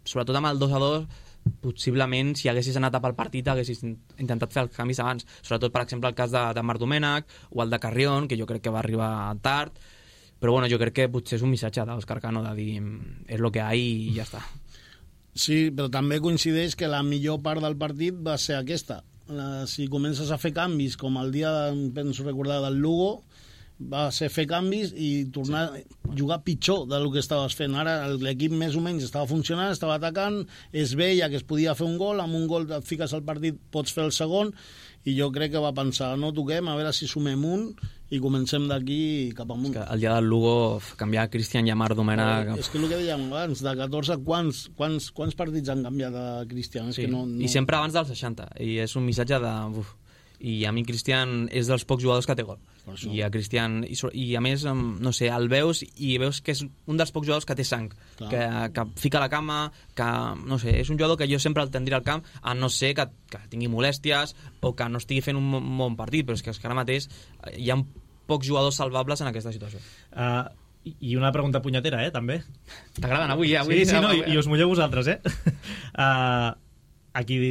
sobretot amb el dos a dos, possiblement si haguessis anat a pel partit haguessis intentat fer els canvis abans, sobretot per exemple el cas de, de Marc Domènech o el de Carrión, que jo crec que va arribar tard, però bueno, jo crec que potser és un missatge d'Òscar Cano de dir és lo que hi ha i ja està. Sí, però també coincideix que la millor part del partit va ser aquesta. La, si comences a fer canvis com el dia, penso recordar, del Lugo, va ser fer canvis i tornar a jugar pitjor del que estaves fent. Ara l'equip més o menys estava funcionant, estava atacant, es veia que es podia fer un gol, amb un gol et fiques al partit, pots fer el segon, i jo crec que va pensar, no toquem, a veure si sumem un i comencem d'aquí cap amunt. És que el dia del Lugo canviar Cristian i a Marc Domènech... Eh, és que el que dèiem abans, de catorze, quants, quants, quants partits han canviat a Cristian? Sí. És que no, no... I sempre abans dels seixanta, i és un missatge de... Uf. I a mi Cristian és dels pocs jugadors que té gol, i a Cristian i, i a més, no sé, el veus i veus que és un dels pocs jugadors que té sang, que, que fica la cama, que no sé, és un jugador que jo sempre el tindria al camp, a no ser que, que tingui molèsties o que no estigui fent un bon partit, però és que, és que ara mateix hi ha pocs jugadors salvables en aquesta situació. Uh, I una pregunta punyetera, eh, també. T'agraden avui, eh? Avui sí, sí, no, i, i us mulleu vosaltres, eh? Uh, a qui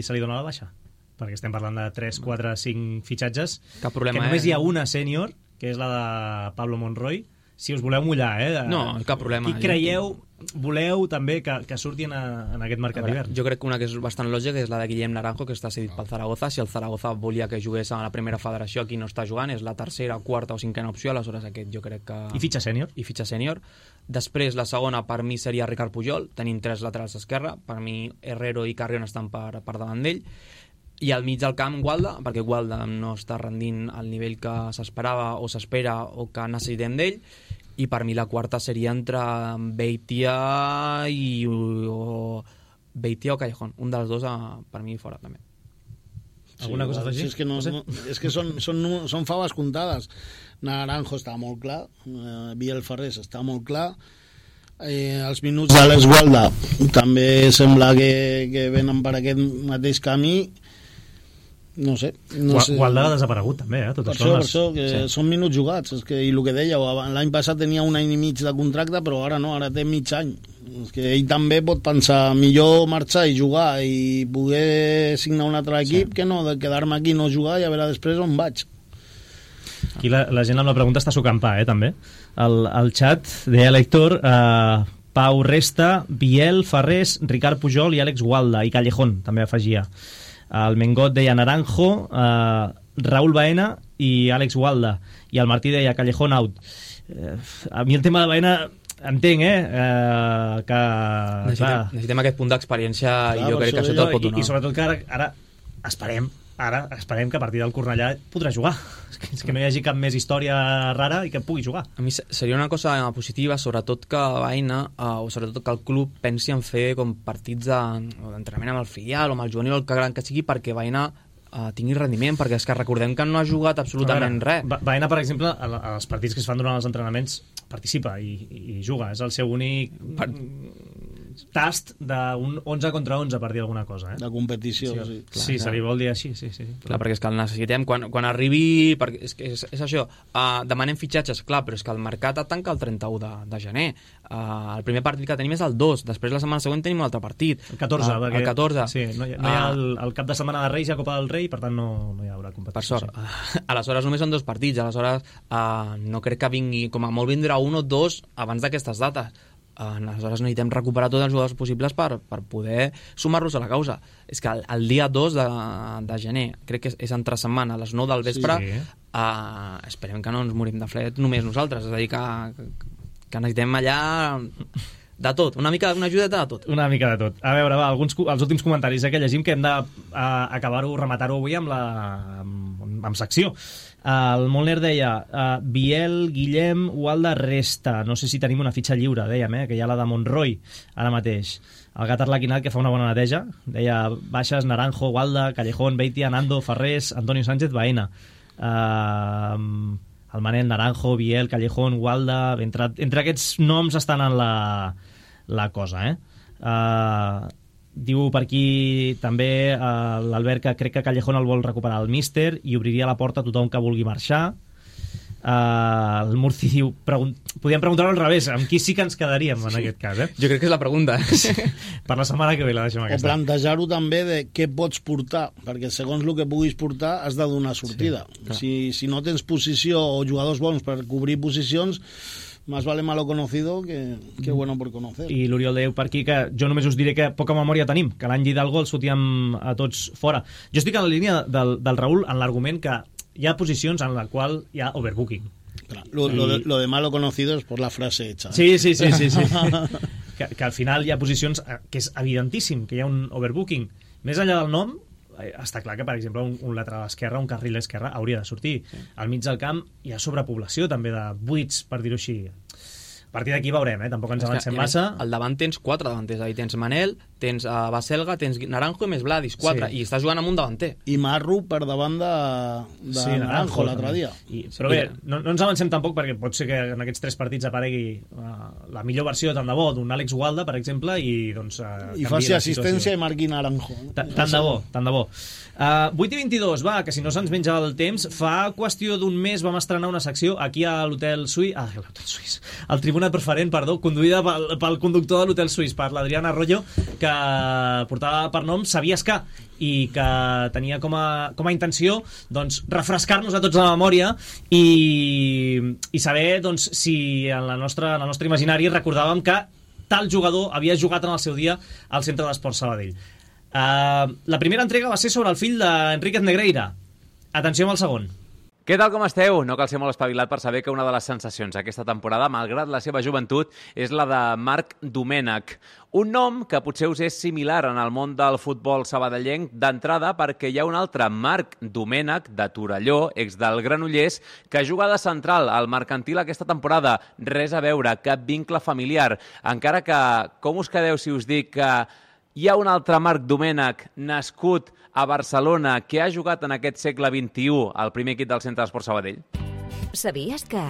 se li dona la baixa? Perquè estem parlant de tres, quatre, cinc fitxatges. Cap problema, que només eh? hi ha una sènior, que és la de Pablo Monroy. Si us voleu mullar, eh? De... No, cap problema. Qui creieu, voleu també que, que surti en, a, en aquest mercat d'hivern? Jo crec que una que és bastant lògica és la de Guillem Naranjo, que està cedit pel Zaragoza. Si el Zaragoza volia que jugués a la primera federació, aquí no està jugant, és la tercera, quarta o cinquena opció, aleshores aquest jo crec que... I fitxa sènior? I fitxa sènior. Després, la segona, per mi, seria Ricard Pujol. Tenim tres laterals d'esquerra. Per mi, Herrero i Carrion estan per, per davant d'ell. I al mig del camp, Gualda, perquè Gualda no està rendint al nivell que s'esperava o s'espera o que necessitem d'ell. I per mi la quarta seria entre Beitia i o Beitia o Callejón. Un dels dos, per mi, fora també. Alguna sí, cosa d'afegir? Sí, és que, no, no, és que són, són, són faves comptades. Naranjo està molt clar, eh, Biel Ferrés està molt clar, eh, els minuts de l'Esgualda també sembla que, que venen per aquest mateix camí. No sé. No sé. Gualda ha desaparegut també, eh? Tot per això, això, les... per això que sí. Són minuts jugats. És que, i el que dèieu, l'any passat tenia un any i mig de contracte, però ara no, ara té mig any. És que ell també pot pensar millor marxar i jugar i poder signar un altre equip sí. que no de quedar-me aquí i no jugar i a veure després on vaig. Aquí la, la gent amb la pregunta està sucampar, eh, també. El, el xat deia l'Héctor, eh, Pau Resta, Biel, Ferrés, Ricard Pujol i Àlex Gualda, i Callejón també afegia. El Mengot deia Naranjo, eh, Raúl Baena i Àlex Gualda, i el Martí deia Callejón out. Eh, a mi el tema de Baena entenc, eh, eh que necessitem, necessitem aquest punt d'experiència i jo crec que això te'l pot donar. I, i sobretot que ara, ara esperem ara esperem que a partir del Cornellà podrà jugar. És que, és que no hi hagi cap més història rara i que pugui jugar. A mi seria una cosa positiva, sobretot que Baena, eh, o sobretot que el club pensi en fer com partits d'entrenament amb el filial o amb el juvenil o el que gran que sigui, perquè Baena eh, tingui rendiment, perquè és que recordem que no ha jugat absolutament veure, res. Baena, per exemple, als partits que es fan durant els entrenaments participa i, i juga, és el seu únic per... tast d'un onze contra onze, per dir alguna cosa, eh? De competició, sí. Sí, Clar, sí se li vol dir així, sí, sí. Clar, perquè és que el necessitem quan, quan arribi... Perquè és, és, és això, uh, demanem fitxatges, clar, però és que el mercat tanca el trenta-u de, de gener. Uh, el primer partit que tenim és el dos, després la setmana següent tenim un altre partit. El catorze, uh, perquè... El catorze. Sí, no hi ha, no hi ha el, el cap de setmana de Reis i a Copa del Rei, per tant no, no hi haurà competició. Per sort. Sí. Uh, aleshores només són dos partits, aleshores uh, no crec que vingui, com a molt vindrà un o dos abans d'aquestes dates. Uh, aleshores necessitem recuperar tots els jugadors possibles per, per poder sumar-los a la causa. És que el, el dia dos de, de gener, crec que és, és entre setmana, a les nou del vespre, sí, sí. Uh, esperem que no ens morim de fred només nosaltres, és a dir, que, que necessitem allà de tot, una mica una ajudeta de tot. Una mica de tot. A veure, va, alguns, els últims comentaris eh, que llegim, que hem d'acabar-ho, rematar-ho avui amb la amb, amb secció. El Molner deia uh, Biel, Guillem, Gualda, Resta. No sé si tenim una fitxa lliure, dèiem, eh, que hi ha la de Monroy ara mateix. El Gat Arlequinat, que fa una bona neteja, deia baixes, Naranjo, Gualda, Callejón, Beitia, Nando, Ferrés, Antonio Sánchez, Baena. Uh, el Manel, Naranjo, Biel, Callejón, Gualda. Entre, entre aquests noms estan en la, la cosa, eh? Uh, diu per aquí també uh, l'Albert que crec que Callejón el vol recuperar el míster i obriria la porta a tothom que vulgui marxar. Uh, el Murci diu pregun podríem preguntar-ho al revés, amb qui sí que ens quedaríem en sí. aquest cas, eh? Jo crec que és la pregunta. Per la setmana que ve la deixem aquesta. O plantejar-ho també de què pots portar, perquè segons el que puguis portar has de donar sortida. Sí, si, si no tens posició o jugadors bons per cobrir posicions, más vale malo conocido que, que bueno por conocer. I l'Oriol diu per aquí que jo només us diré que poca memòria tenim, que l'any Hidalgo els fotíem a tots fora. Jo estic en la línia del, del Raül en l'argument que hi ha posicions en la qual hi ha overbooking. Clar, lo, I... lo, de, lo de malo conocido es por la frase hecha. ¿eh? Sí, sí, sí, sí, sí. que, que al final hi ha posicions que és evidentíssim que hi ha un overbooking. Més enllà del nom, està clar que, per exemple, un, un lateral esquerre, un carril esquerre, hauria de sortir. Sí. Al mig del camp hi ha sobrepoblació, també, de buits, per dir-ho així. A partir d'aquí veurem, eh? Tampoc ens avancem massa. Al davant tens quatre davanters, ahí tens Manel, tens a uh, Baselga, tens Naranjo i més Vladis, quatre, sí. i estàs jugant amb un davanter. I Marru per davant de, de sí, Naranjo l'altre dia. I, però bé, no, no ens avancem tampoc perquè pot ser que en aquests tres partits aparegui uh, la millor versió tant de bo d'un Àlex Gualda, per exemple, i doncs uh, i faci assistència i marqui Naranjo. Tant de bo, tant de bo. Uh, vuit i vint-i-dos, va, que si no se'ns menja el temps, fa qüestió d'un mes vam estrenar una secció aquí a l'Hotel Suís, ah, l'Hotel Suís, al Tribuna Preferent, perdó, conduïda pel, pel conductor de l'Hotel Suís, per l'Adrián Arroyo, que portava per nom Sabies que, i que tenia com a, com a intenció doncs, refrescar-nos a tots la memòria i, i saber doncs, si en, la nostra, en el nostre imaginari recordàvem que tal jugador havia jugat en el seu dia al Centre d'Esports Sabadell. Uh, la primera entrega va ser sobre el fill d'Enríquez Negreira. Atenció amb el segon. Què tal, com esteu? No cal ser molt espavilat per saber que una de les sensacions aquesta temporada, malgrat la seva joventut, és la de Marc Domènech. Un nom que potser us és similar en el món del futbol sabadellenc d'entrada perquè hi ha un altre Marc Domènech de Torelló, ex del Granollers, que juga de central al Mercantil aquesta temporada. Res a veure, cap vincle familiar. Encara que, com us quedeu si us dic que hi ha un altre Marc Domènech nascut a Barcelona que ha jugat en aquest segle vint-i-u al primer equip del Centre d'Esports Sabadell? Sabies que...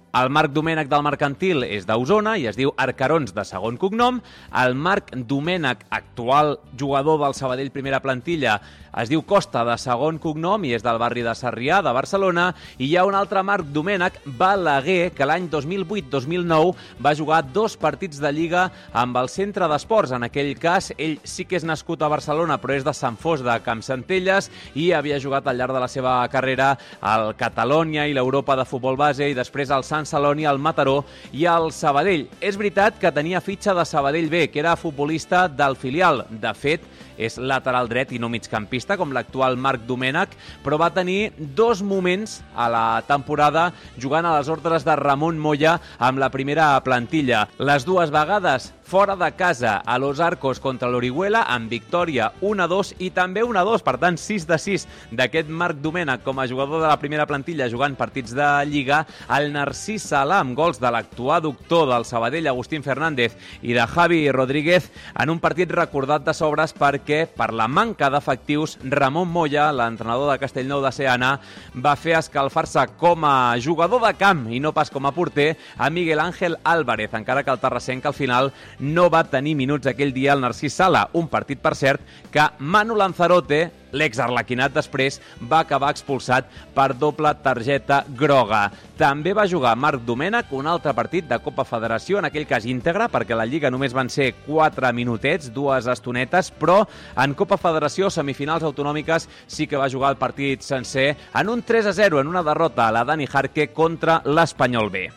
El Marc Domènech del Mercantil és d'Osona i es diu Arcarons de segon cognom. El Marc Domènech, actual jugador del Sabadell primera plantilla, es diu Costa de segon cognom i és del barri de Sarrià, de Barcelona. I hi ha un altre Marc Domènech, Balaguer, que l'any dos mil vuit dos mil nou va jugar dos partits de Lliga amb el Centre d'Esports. En aquell cas, ell sí que és nascut a Barcelona, però és de Sant Fos de Campsentelles i havia jugat al llarg de la seva carrera al Catalònia i l'Europa de futbol base i després al Sant Celoni, al Mataró i al Sabadell. És veritat que tenia fitxa de Sabadell B, que era futbolista del filial. De fet, és lateral dret i no migcampista, com l'actual Marc Domènech, però va tenir dos moments a la temporada jugant a les ordres de Ramon Moya amb la primera plantilla. Les dues vegades fora de casa a Los Arcos contra l'Orihuela, amb victòria un a dos i també un a dos, per tant sis de sis d'aquest Marc Domènech com a jugador de la primera plantilla jugant partits de Lliga. El Narcís Sala, amb gols de l'actual doctor del Sabadell, Agustín Fernández, i de Javi Rodríguez, en un partit recordat de sobres perquè, per la manca d'efectius, Ramon Moya, l'entrenador de Castellnou de Seana, va fer escalfar-se com a jugador de camp i no pas com a porter a Miguel Ángel Álvarez, encara que el terrassenc al final no va tenir minuts aquell dia al Narcís Sala, un partit, per cert, que Manu Lanzarote, l'ex-arlequinat després, va acabar expulsat per doble targeta groga. També va jugar Marc Domènech un altre partit de Copa Federació, en aquell cas íntegre, perquè la Lliga només van ser quatre minutets, dues estonetes, però en Copa Federació, semifinals autonòmiques, sí que va jugar el partit sencer en un tres a zero, en una derrota a la Dani Jarque contra l'Espanyol B.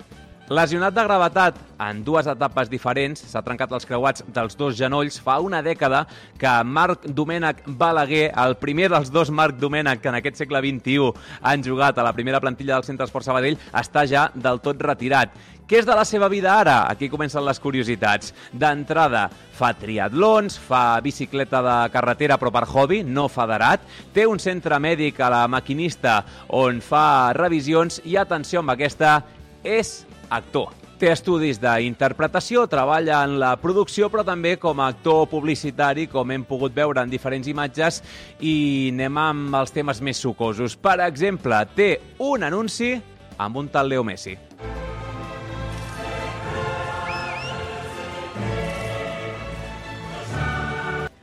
Lesionat de gravetat en dues etapes diferents, s'ha trencat els creuats dels dos genolls. Fa una dècada que Marc Domènech Balaguer, el primer dels dos Marc Domènech que en aquest segle vint-i-u han jugat a la primera plantilla del Centre d'Esports Sabadell, està ja del tot retirat. Què és de la seva vida ara? Aquí comencen les curiositats. D'entrada, fa triatlons, fa bicicleta de carretera però per hobby, no federat, té un centre mèdic a la Maquinista on fa revisions i, atenció amb aquesta, és actor. Té estudis d'interpretació, treballa en la producció, però també com a actor publicitari, com hem pogut veure en diferents imatges, i anem amb els temes més sucosos. Per exemple, té un anunci amb un tal Leo Messi.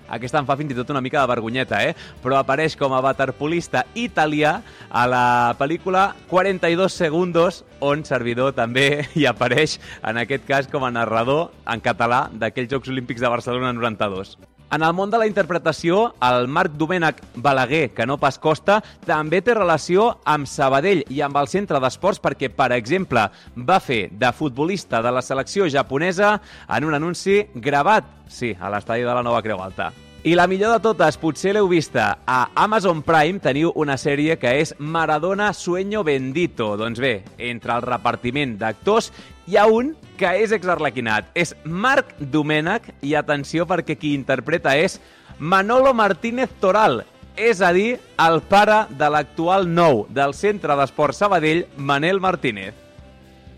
Aquesta em fa fins i tot una mica de vergonyeta, eh? Però apareix com a waterpolista italià a la pel·lícula quaranta-dos segundos, on Servidor també hi apareix, en aquest cas com a narrador en català d'aquells Jocs Olímpics de Barcelona noranta-dos. En el món de la interpretació, el Marc Domènech Balaguer, que no pas Costa, també té relació amb Sabadell i amb el Centre d'Esports perquè, per exemple, va fer de futbolista de la selecció japonesa en un anunci gravat, sí, a l'estadi de la Nova Creu Alta. I la millor de totes, potser l'heu vista, a Amazon Prime teniu una sèrie que és Maradona Sueño Bendito. Doncs bé, entre el repartiment d'actors hi ha un que és exarlequinat. És Marc Domènech i atenció perquè qui interpreta és Manolo Martínez Toral, és a dir, el pare de l'actual nou del Centre d'Esports Sabadell, Manel Martínez.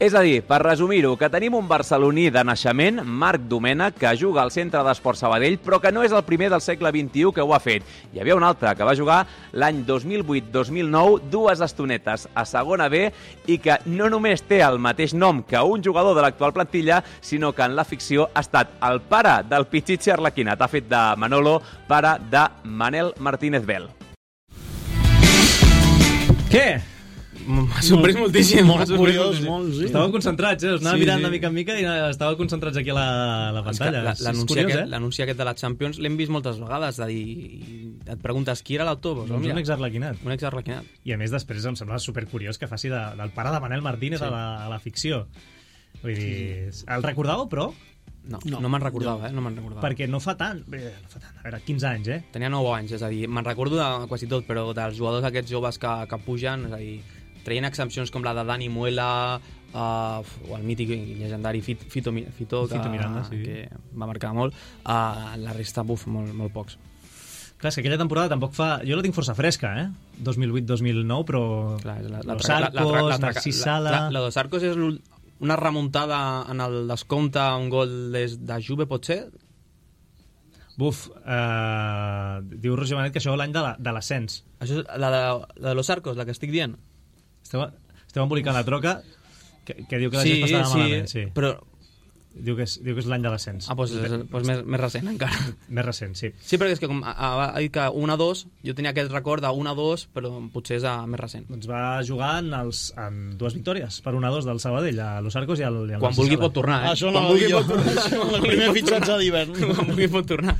És a dir, per resumir-ho, que tenim un barceloní de naixement, Marc Domènech, que juga al Centre d'Esport Sabadell, però que no és el primer del segle vint-i-u que ho ha fet. Hi havia un altre que va jugar l'any dos mil vuit dos mil nou, dues estonetes a segona B, i que no només té el mateix nom que un jugador de l'actual plantilla, sinó que en la ficció ha estat el pare del Pichichi Arlequinat. Ha fet de Manolo, pare de Manel Martínez Bel. Què? M'ha sorprès moltíssim. Molt curiós, molt, sí. Estàveu concentrats, eh? Us anava Sí, mirant sí. de mica en mica i estàveu concentrats aquí a la, a la pantalla. La- És L'anunci curiós, aquest, eh? l'anunci aquest de la Champions l'hem vist moltes vegades, de dir, et preguntes qui era l'autor? Doncs un exarlequinat. Un exarlequinat. I a més després em sembla supercuriós que faci de, del pare de Manel Martínez Sí. a, la, a la ficció. Vull dir, el recordàveu, però? No, no, no me'n recordava, eh? No me'n recordava. Perquè no fa tant, bé, no fa tant, a veure, quinze anys, eh? Tenia nou anys, és a dir, me'n recordo de quasi tot, però dels jugadors aquests joves que, que pugen, és a dir, traient exempcions com la de Dani Muela, uh, o el mític i llegendari Fito, Fito, Fito, que, Fito Miranda, sí. que va marcar molt, uh, la resta, buf, molt, molt pocs. Clar, és que aquella temporada tampoc fa... Jo la tinc força fresca, eh? dos mil vuit dos mil nou, però... Clar, la, Los Arcos, Narcís Sala... La, la Los Arcos és l'ul- una remuntada en el descompte, un gol des de Juve, potser? Buf, eh, diu Roger Benet que això és l'any de la- de l'ascens. Això és la de, la de Los Arcos, la que estic dient? Esteu, esteu embolicant la troca, que, que diu que la Sí, gent passava sí, malament. Sí, però... Diu que és, diu que és l'any de l'ascens. Ah, doncs, és, doncs més, més recent encara. Més recent, sí. Sí, perquè és que com ha, ha dit que un a dos, jo tenia aquest record d'un a dos, però potser és a més recent. Doncs va jugar en, els, en dues victòries, per un a dos del Sabadell, a Los Arcos i al, i al Quan vulgui pot tornar, eh? Això no Quan ho dic vulgui jo. pot tornar. Això, el primer fitxatge d'hivern. Quan vulgui pot tornar.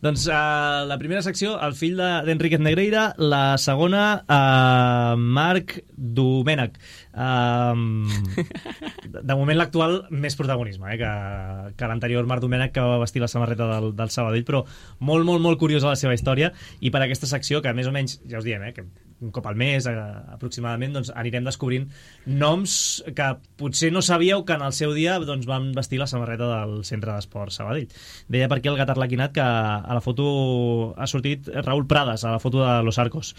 Doncs uh, la primera secció, el fill d'Enriquez de, Negreira, la segona, uh, Marc Domènech. Uh, de, de moment l'actual més protagonisme eh, que, que l'anterior Marc Domènech, que va vestir la samarreta del, del Sabadell, però molt, molt, molt curiosa la seva història, i per aquesta secció, que més o menys, ja us diem, eh, que un cop al mes eh, aproximadament, doncs anirem descobrint noms que potser no sabíeu que en el seu dia doncs, van vestir la samarreta del Centre d'Esport Sabadell. Deia per aquí el gat arlequinat que a la foto ha sortit Raúl Prades, a la foto de Los Arcos.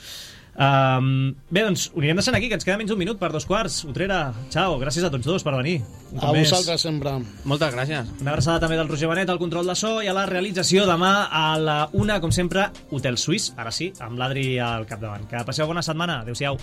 Um, bé, doncs ho anirem deixant aquí, que ens queda menys un minut per dos quarts. Utrera, ciao, gràcies a tots dos per venir. Un cop A més. vosaltres sempre. Moltes gràcies. Una abraçada també del Roger Benet al control de so i a la realització demà a la una, com sempre, Hotel Suís, ara sí, amb l'Adri al capdavant. Que passeu bona setmana. Adéu-siau.